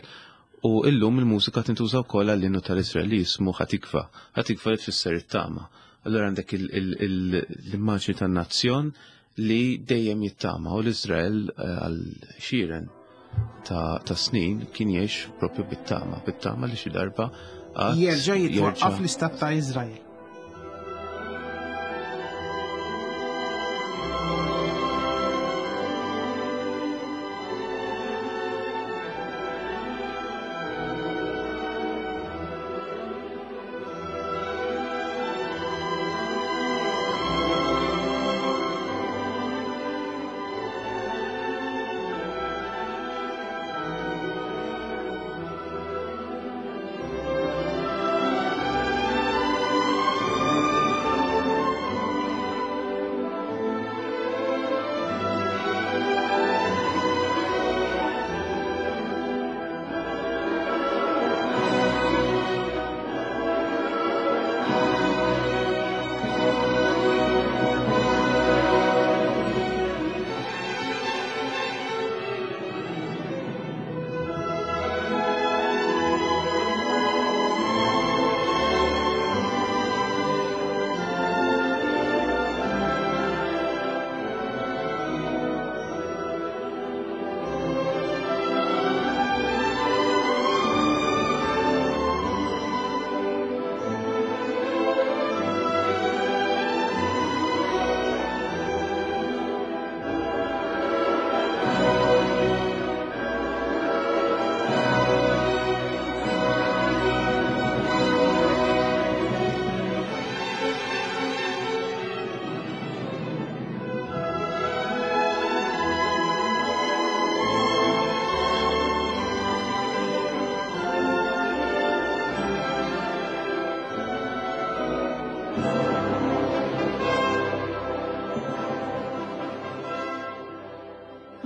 u illum il-mużika tintuża wkoll għall-innu tal-Israel li jismu Hatikva. Hatikva li tfisser it-tama. Allora għandek l-immaġni tan-nazzjon li dejjem jittama, u l-Israel għal xiren ta' snin kien jgħix propju bit-tama, bit-tama li xi darba jerġa' jitwaqqaf l-Istat ta' Israel.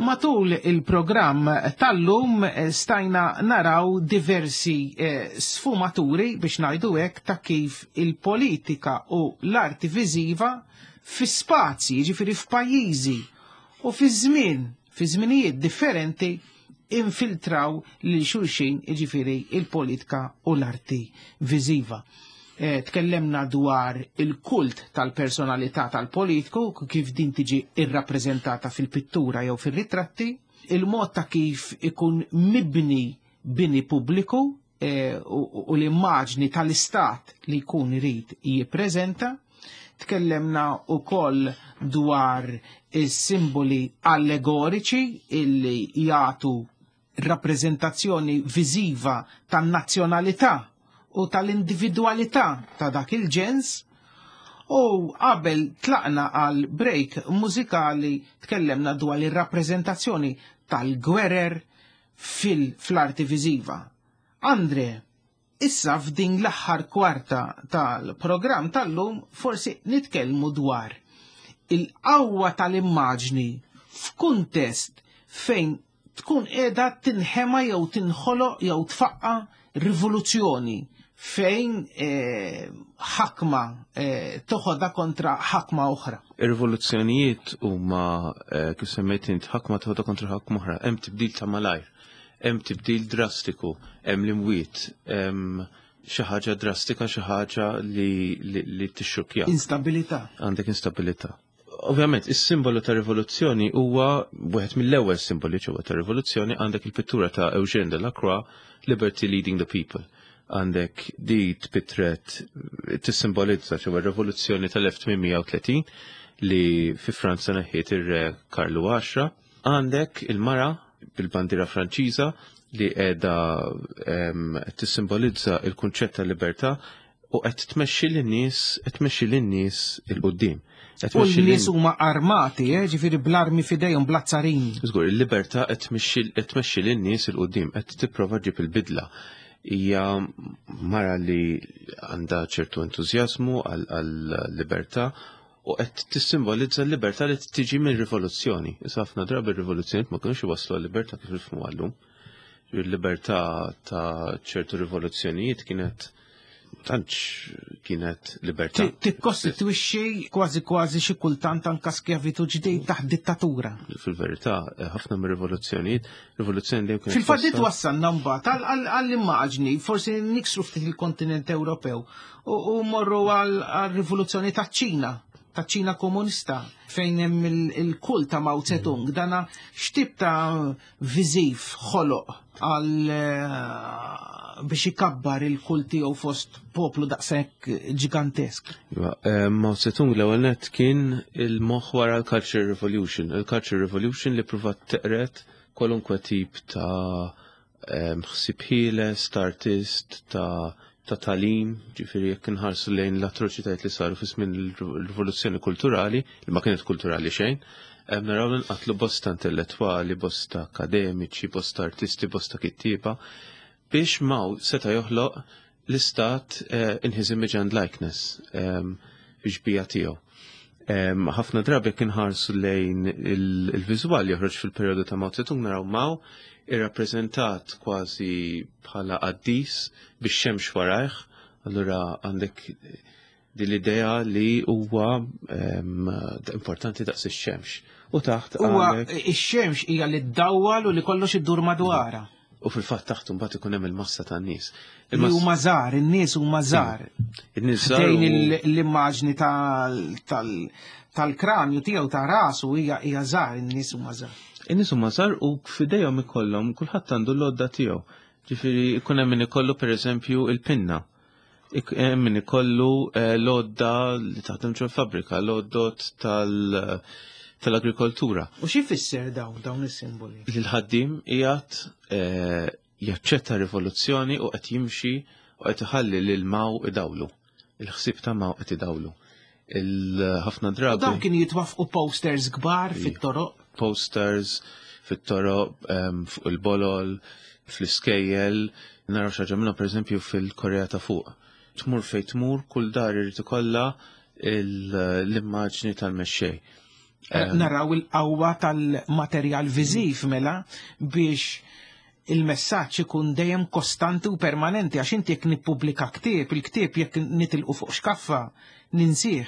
Matul il-programm tal-lum stajna naraw diversi eh, sfumaturi biex ngħidu hekk ta' kif il-politika u l-arti viżiva fi spazji, jiġifieri f'pajjiżi u fi żmien, fi żminijiet differenti infiltraw lil xulxin, jiġifieri il-politika u l-arti viżiva. Eh, tkellemna dwar il-kult tal-personalità tal-politiku, kif din tiġi irrappreżentata fil-pittura jew fil-ritratti, il-mod ta' kif ikun mibni bini pubbliku eh, u, u l-immaġni tal-istat li jkun irid jippreżenta. Tkellemna wkoll dwar is-simboli allegoriċi illi jagħtu rappreżentazzjoni viżiva tan-nazzjonalità u tal-individwalità ta' dak il-ġens. U qabel tlaqna għal break mużikali tkellemna dwar ir-rappreżentazzjoni tal-gwerer fil-arti viżiva. Andre, issa f'din l-aħħar kwarta tal-programm tal-lum forsi nitkellmu dwar il-qawwa tal-immaġni f'kuntest fejn tkun qiegħda tinħema jew tinħoloq jew tfaqqa rivoluzzjoni fejn eh, ħakma eh, toħodha kontra ħakma oħra. Ir-rivoluzzjonijiet huma eh, kif semmejt int, ħakma toħodha kontra ħakma oħra, hemm tibdil ta' malajr, hemm tibdil drastiku, hemm l-imwiet, hemm xi ħaġa drastika, xi ħaġa li, li, li tixxukkja. Instabilità. Għandek instabilità. Ovvjament, is-simbolu ta' rivoluzzjoni huwa wieħed mill-ewwel simboli ġewwa ta' rivoluzzjoni. Għandek il-pittura ta' Eugène Delacroix, Liberty Leading the People. Għandek di tpitret tissimbolizza ġewwa r-rivoluzzjoni tal-elf tmien mija u tletin li fi Franza neħħiet ir-re Karlu għaxra. Għandek il-mara bil-bandiera Franċiża li qiegħda em, tissimbolizza il-kunċett ta' libertà u qed tmexxi lin-nies qed tmexxi lin-nies 'il quddiem. Qed U tmexxi l-nies lin- huma armati, eh, ġifieri bl-armi f'idejhom, bl-azzarini. Żgur, il-libertà qed tmexxi qed tmexxi lin-nies 'il quddiem, qed tipprova ġġib il-bidla. Hija mara li għandha ċertu entużjażmu għal-libertà u qed tissimbolizza l-libertà li tiġi minn rivoluzzjoni. Issa ħafna drabi r-rivoluzzjoni ma kinux iwasslu għal-libertà kif nifhmu għallum. Il-libertà ta' ċertu rivoluzzjonijiet kienet tantx kienet libertà. Ti- Tikkostitwixxi kważi kważi xi kultant anka skjavitu ġdid taħt dittatura. Fil-verità, ħafna mir-rivoluzzjonijiet, rivoluzzjoni dejjem kienet Fil-fatt twassal- twassalna mbagħad għal- għal- għall-immaġni, forsi niksru ftit il-kontinent Ewropew u u morru għal-rivoluzzjoni ta' ċina, ta' ċina komunista, fejn hemm il- il-kult ta' Mao Zedong, dana x'tip ta' viżiv ħoloq għal eh, biex ikabbar il-kult tiegħu fost poplu daqshekk ġigantesk? Iva, eh, Mao Zedong l-ewwel nett kien il-moħħ wara l-Culture Revolution. Il-Culture Revolution li pruvat teqred kwalunkwe tip ta' em, ħsieb ħieles, ta' artist, ta' ta' tagħlim, ġifieri jekk inħarsu lejn l-atroċitajiet li saru fi żmien il-rivoluzzjoni kulturali, li ma kienet kulturali xejn, em, naraw li nqatlu bosta intellettwali, bosta akademiċi, bosta artisti, bosta kittieba, biex Mao seta' joħloq l-istat eh, in his image and likeness em, biex bija tiegħu. Em, Ħafna drabi jekk inħarsu lejn il- il-viżwal joħroġ fil-perjodu ta' Mao Zedong, naraw Mao irrappreżentat kważi bħala qaddis bix-xemx warajh, allura għandek din l-idea li huwa em, importanti daqs ix-xemx. U taħt Huwa għandek ix-xemx hija li ddawwal u li kollox iddur madwarha. U fil-fatt taħt mbagħad ikun hemm il-massa tan-nies. Li huma żgħar, in-nies huma żgħar. In-nies żgħar Ħdejn u- il- l-immaġni tal- tal- tal-kranju tiegħu, ta' rasu, hija hija żgħar, in-nies huma żgħar. In-nies huma żgħar u f'idejhom ikollhom, kulħadd għandu l-għodda tiegħu. Ġifieri ikun hemm min ikollu, pereżempju, il-pinna. Ik- Hemm min ikollu eh, l-għodda li taħdem ġol fabbrika, l-għoddot tal- tal-agrikoltura. U xi fisser dawn dawn is-simboli? Li l-ħaddim qiegħed eh, jaċċetta rivoluzzjoni u qed jimxi u qed iħalli lil Mao idawlu. Il-ħsieb ta' Mao qed idawlu. Il-ħafna U drabi dawn kienu jitwafqu posters kbar fit-toroq. Posters fit-toroq, em, fuq il-bolol, fl-iskejjel, naraw xi ħaġa minnhom, pereżempju, fil-Korea ta' Fuq. Tmur fejn tmur, kull dar irid ikollha il- l-immaġni tal-mexxej. Naraw il-qawwa tal-materjal viżiv mela biex Il-messaġġ ikun dejjem kostanti u permanenti, għax inti jekk nippubblika ktieb, il-ktieb jekk nitilqu fuq xkaffa ninsih.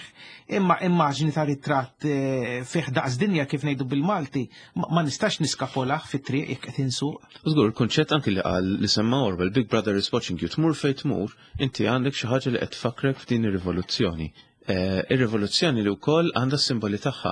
Imma immaġni ta' ritratt eh, fih daqs dinja, kif ngħidu bil-Malti, ma nistax niskapolah fit-triq jekk qed insuq. Żgur, il-kunċett anki li qal li semma Orwell, "Big Brother is watching you", tmur fejn tmur, inti għandek xi ħaġa li qed tfakkrek f'din ir-rivoluzzjoni. Eh, ir-rivoluzzjoni li wkoll għandha s-simboli tagħha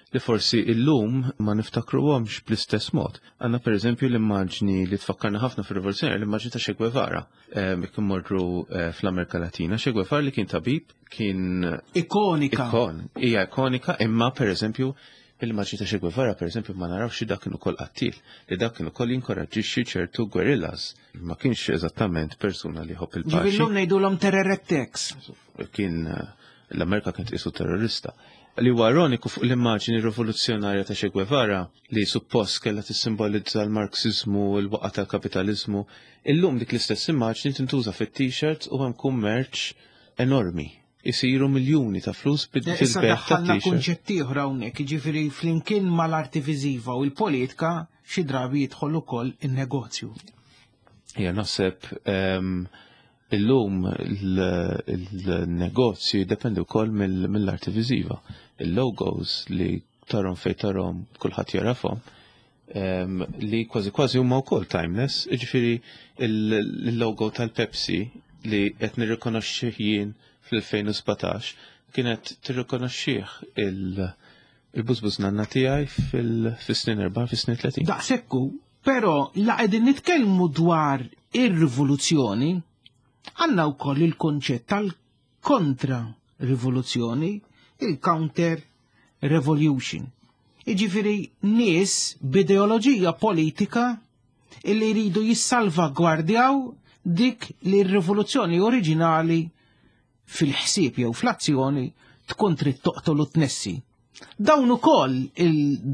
li forsi illum ma niftakruhomx bl-istess mod. Għandna per eżempju l-immaġni li tfakkarna ħafna fir-rivoluzzjoni, l-immaġni ta' Che Guevara. Jekk immorru eh, fl-Amerika Latina, Che Guevara li kien tabib, kien Ikonika. Ikon, hija ikonika, imma per eżempju il-immaġni ta' Che Guevara, per eżempju, ma narawx li dak kien ukoll qattil, li dak kien ukoll jinkoraġġixxi ċertu guerrillas. Ma kienx eżattament persuna li jħobb il-paċi. Ġifieri llum ngħidulhom terror attacks. Kien eh, l-Amerika kien tqisu terrorista. Li huwa ironiku fuq l-immaġni rivoluzzjonarja ta' Che Guevara, li suppost kellha tissimbolizza l-Marxizmu, l-waqgħa tal-kapitalizmu, illum dik l-istess immaġni tintuża fit-t-shirts u hemm kummerċ enormi. Isiru miljuni ta' flus bil-bejgħ ta' t-shirt. Kunċetti oħra hawnhekk, jiġifieri flimkien mal-arti viżiva u l-politika xi drabi jidħol ukoll in-negozju. Ja, naħseb ehm, illum il-negozju jiddependi wkoll mill-arti viżiva. Il-logos li tarahom fejn tarahom, kulħadd jarafhom, li kważi kważi huma wkoll timeless, jiġifieri il-logo tal-Pepsi li qed nirrikonoxxih jien fl-elfejn u sbatax kienet tirrikonoxxih il-bużbuż nanna tiegħi fis-snin erbgħin, fis-snin tletin. Daqsekku, però la qegħdin nitkellmu dwar ir-rivoluzzjoni, għandna wkoll il-konċett tal-kontra rivoluzzjoni, il-counter revolution. Iġifieri nies b'ideoloġija politika illi jridu jissalvagwardjaw dik li r-rivoluzzjoni oriġinali fil-ħsieb jew fl-azzjoni tkun trid toqtol u tnessi. Dawn ukoll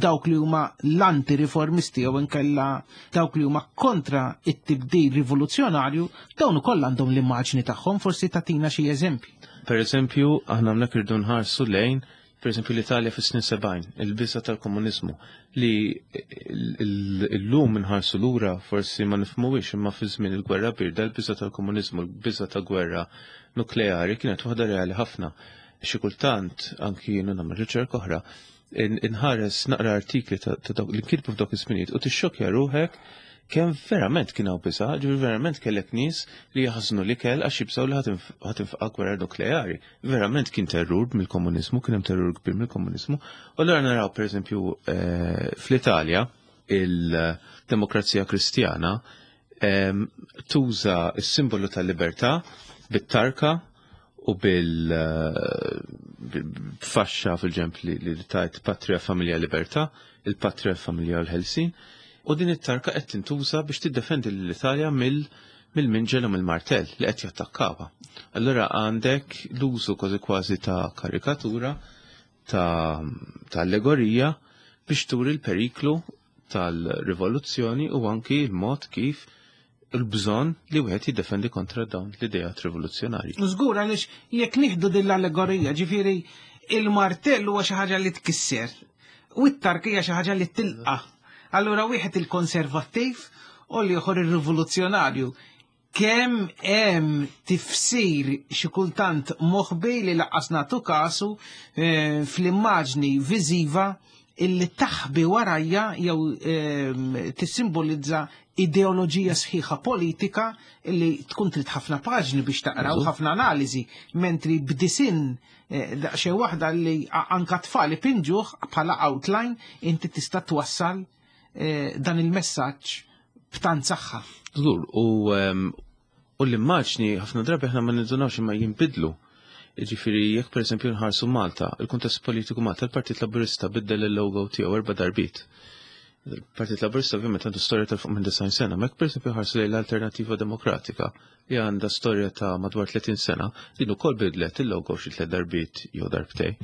dawk li huma l-anti-riformisti jew inkella dawk li huma kontra it-tibdil rivoluzzjonarju, dawn ukoll għandhom l-immaġni tagħhom, forsi tatina xi eżempji. Per eżempju, aħna hawnhekk irdu nħarsu lejn, per eżempju, l-Italja fis-snin sebgħin, il-biża tal-komuniżmu, li l-lum nħarsu lura forsi ma nifhmuhiex, imma fi żmien il-gwerra birda l-biża tal-komuniżmu, l-biża ta' gwerra nukleari kienet waħda reali ħafna. Xi kultant anki jiena nagħmel riċerka oħra, inħares naqra artikli ta' dawk li nkitbu f'dawk iż-żminijiet u tixxokja ruħek kemm verament kien hawn biża', ġifieri verament kellek nies li jaħżnu l-ikel għax jibżgħu li ħa tinfaqa' gwerra nukleari. Verament kien terrur mill-komuniżmu, kien hemm terrur kbir mill-komuniżmu. U allura naraw, pereżempju, eh, fl-Italja il-Demokrazija Kristjana tuża s-simbolu tal-libertà bit-tarka u bil-faxxa fil-ġemp li tajt "Patria, Familja, Libertà", il-Patria, Familja u l-Ħelsin. U din it-tarka qed tintuża biex tiddefendi l-Italja mill mill-minġel u mill-martell li qed jattakkawha. Allura għandek l-użu kważi kważi ta' karikatura, ta', ta allegorija biex turi l-periklu tal-rivoluzzjoni u anki il-mod kif il-bżonn li wieħed jiddefendi kontra dawn l-idejat rivoluzzjonarji. Żgur, għaliex jekk nieħdu din l-allegorija, ġifieri il-martell huwa xi ħaġa li tkisser u t-tarka hija xi ħaġa li tilqa'. Allura wieħed il-konservattiv u l-ieħor ir-rivoluzzjonarju. Kemm hemm tifsir xi kultant moħbi li lanqas nagħtu kasu eh, fl-immaġni viżiva illi taħbi warajja jew eh, tissimbolizza ideoloġija sħiħa politika illi tkun trid ħafna paġni biex taqra u ħafna analiżi, mentri b'disinn eh, daqsxejn waħda li anka tfal ipinġuh bħala outline inti tista' twassal eh, dan il-messaġġ b'tant saħħa. Żgur, u ehm, u l-immaġni ħafna drabi aħna ma nindunawx imma jinbidlu. Ġifieri, jekk per eżempju nħarsu Malta, il-kuntest politiku Malta, il-Partit Laburista biddel il-logo tiegħu erba' darbiet. Il-Partit Laburista ovvjament għandu storja ta' fuq minn disgħin sena, ma jekk per eżempju ħarsu lejn l-Alternativa Demokratika, li għandha storja ta' madwar tletin sena, din ukoll bidlet il-logo xi tliet darbiet jew darbtej.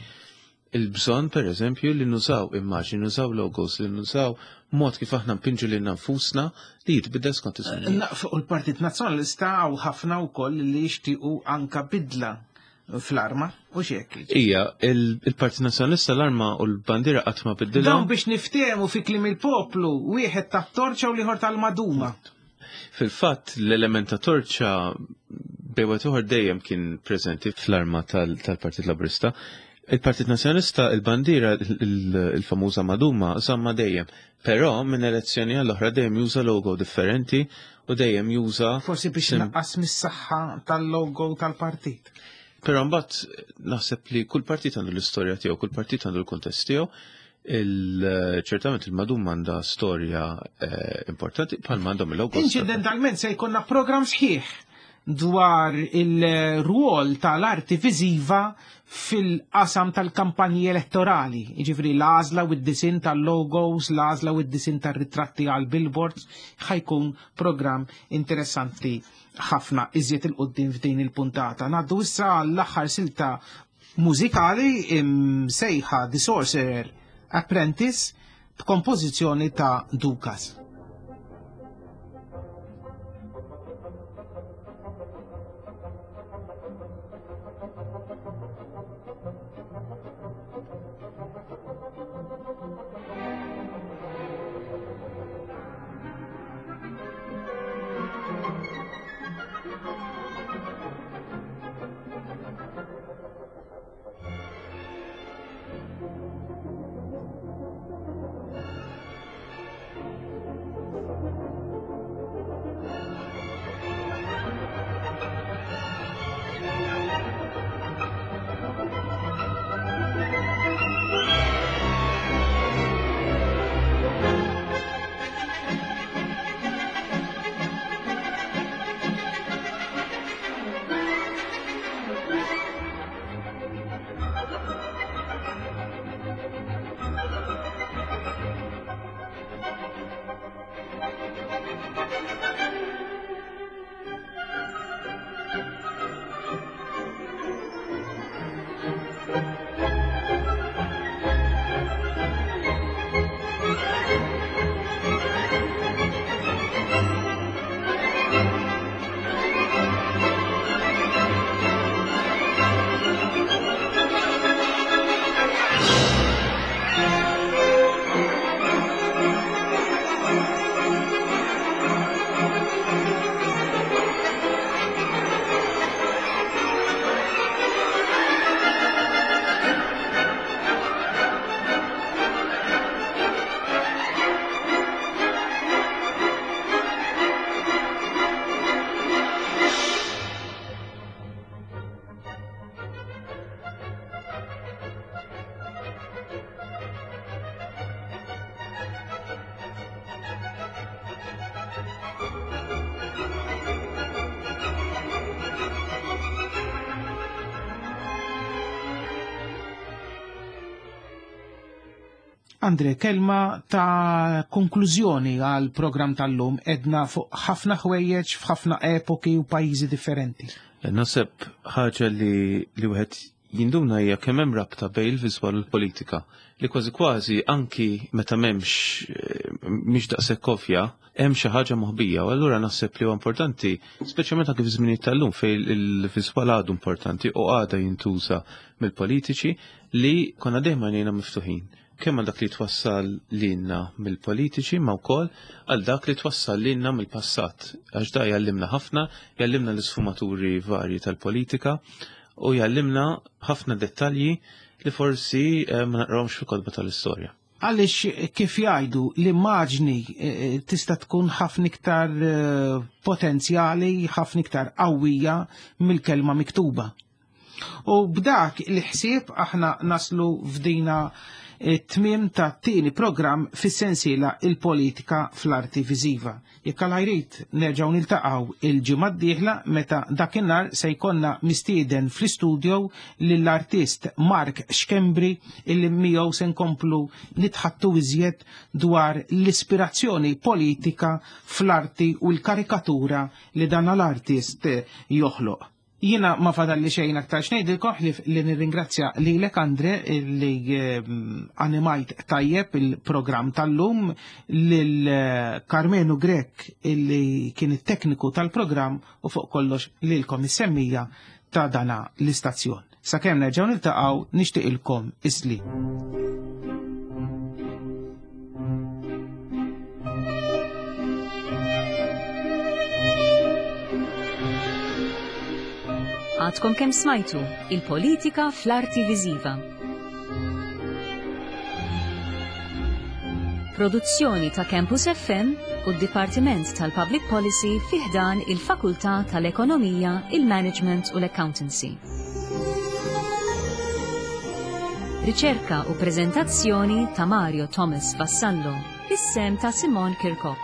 Il-bżonn, per eżempju, li nużaw immaġni, nużaw logos, li nużaw mod kif aħna npinġu lil nfusna li jitbidel skont iż-żmien. Fuq il-Partit Nazzjonalista hawn ħafna wkoll li jixtiequ anka bidla fl-arma u xek. Ija, il-Partit Nazzjonalista l-arma u l-bandira qatt ma biddilhom. Dawn biex niftehmu fi kliem il-poplu, wieħed tat-torċa u l-ieħor tal-maduma. Fil-fatt l-element ta' torċa bejwet uħor dejjem kien preżenti fl-arma tal-Partit Laburista. Il-Partit Nazzjonalista, il-bandiera, il-famuża maduma, żamma dejjem. Però minn elezzjoni għall-oħra dejjem juża logo differenti u dejjem juża... Forsi biex naqqas mis-saħħa tal-logo tal-partit. Però mbagħad naħseb li kull partit għandu l-istorja tiegħu, kull partit għandu l-kuntest tiegħu. Ċertament il-maduma għandha storja importanti bħalma għandhom il-logo. Inċidentalment se jkollna programm sħiħ dwar il-rwol tal-arti viżiva fil-qasam tal-kampanji elettorali, jiġifieri l-għażla u d-disin tal-logos, l-għażla u d-disin tar-ritratti għal billboards, ħajkun programm interessanti ħafna iżjed il-qoddim f'din il-puntata. Ngħaddu issa l-aħħar silta mużikali imsejħa The Sorcerer Apprentice b'kompożizzjoni ta' Dukas. Andre, kelma ta' konklużjoni għal program tal-lum edna fuq ħafna ħwejjeġ f'ħafna epoki u pajjiżi differenti. Naħseb ħaġa li li wieħed jinduna hija kemm hemm rabta bejn il-viżwal u l-politika li kważi kważi anki meta m'hemmx mhix daqshekk ovvja hemm xi ħaġa moħbija, u allura naħseb li huwa importanti, speċjalment anke fi żminijiet tal-lum fejn il-viżwal għadu importanti u għada jintuża mill-politiċi li konna dejjem għajnejna miftuħin. Kemm għal dak li twassal lilna mill-politiċi ma wkoll għal dak li twassal lilna mill-passat. Għax da jgħallimna ħafna, jgħallimna l-isfumaturi varji tal-politika u jgħallimna ħafna dettalji li forsi ma naqrawhomx fil-kotba tal-istorja. Għaliex kif jgħidu l-immaġni tista' tkun ħafna iktar potenzjali, ħafna iktar qawwija mill-kelma miktuba. U b'dak il-ħsieb aħna naslu f'dina it-tmiem ta' tieni programm fis-sensiela il-politika fl-arti viżiva. Jekk Alla jrid nerġgħu niltaqgħu il-ġimgħa d-dieħla meta dakinhar se jkollna mistieden fl-istudio lill-artist Mark Schembri illi miegħu se nkomplu nitħattu iżjed dwar l-ispirazzjoni politika fl-arti u l-karikatura li dan l-artist joħloq. Jiena ma fadalli xejn aktar xnejdilkom ħlif li nirringrazzja lilek Andre li animajt tajjeb il-programm tal-lum, lil Karmenu Grek illi kien it-tekniku tal-programm u fuq kollox lilkom is-semmija ta' dana l-istazzjon. Sakemm nerġgħu niltaqgħu nixtieqilkom isli. Għadkom kemm smajtu il-politika fl-arti viżiva. Produzzjoni ta' Campus F M u d-Dipartiment tal-Public Policy fi ħdan il-Fakultà tal-Ekonomija, il-Management u l-Accountancy. Riċerka u prezentazzjoni ta' Mario Thomas Vassallo, bis-sehem ta' Simon Kirkop.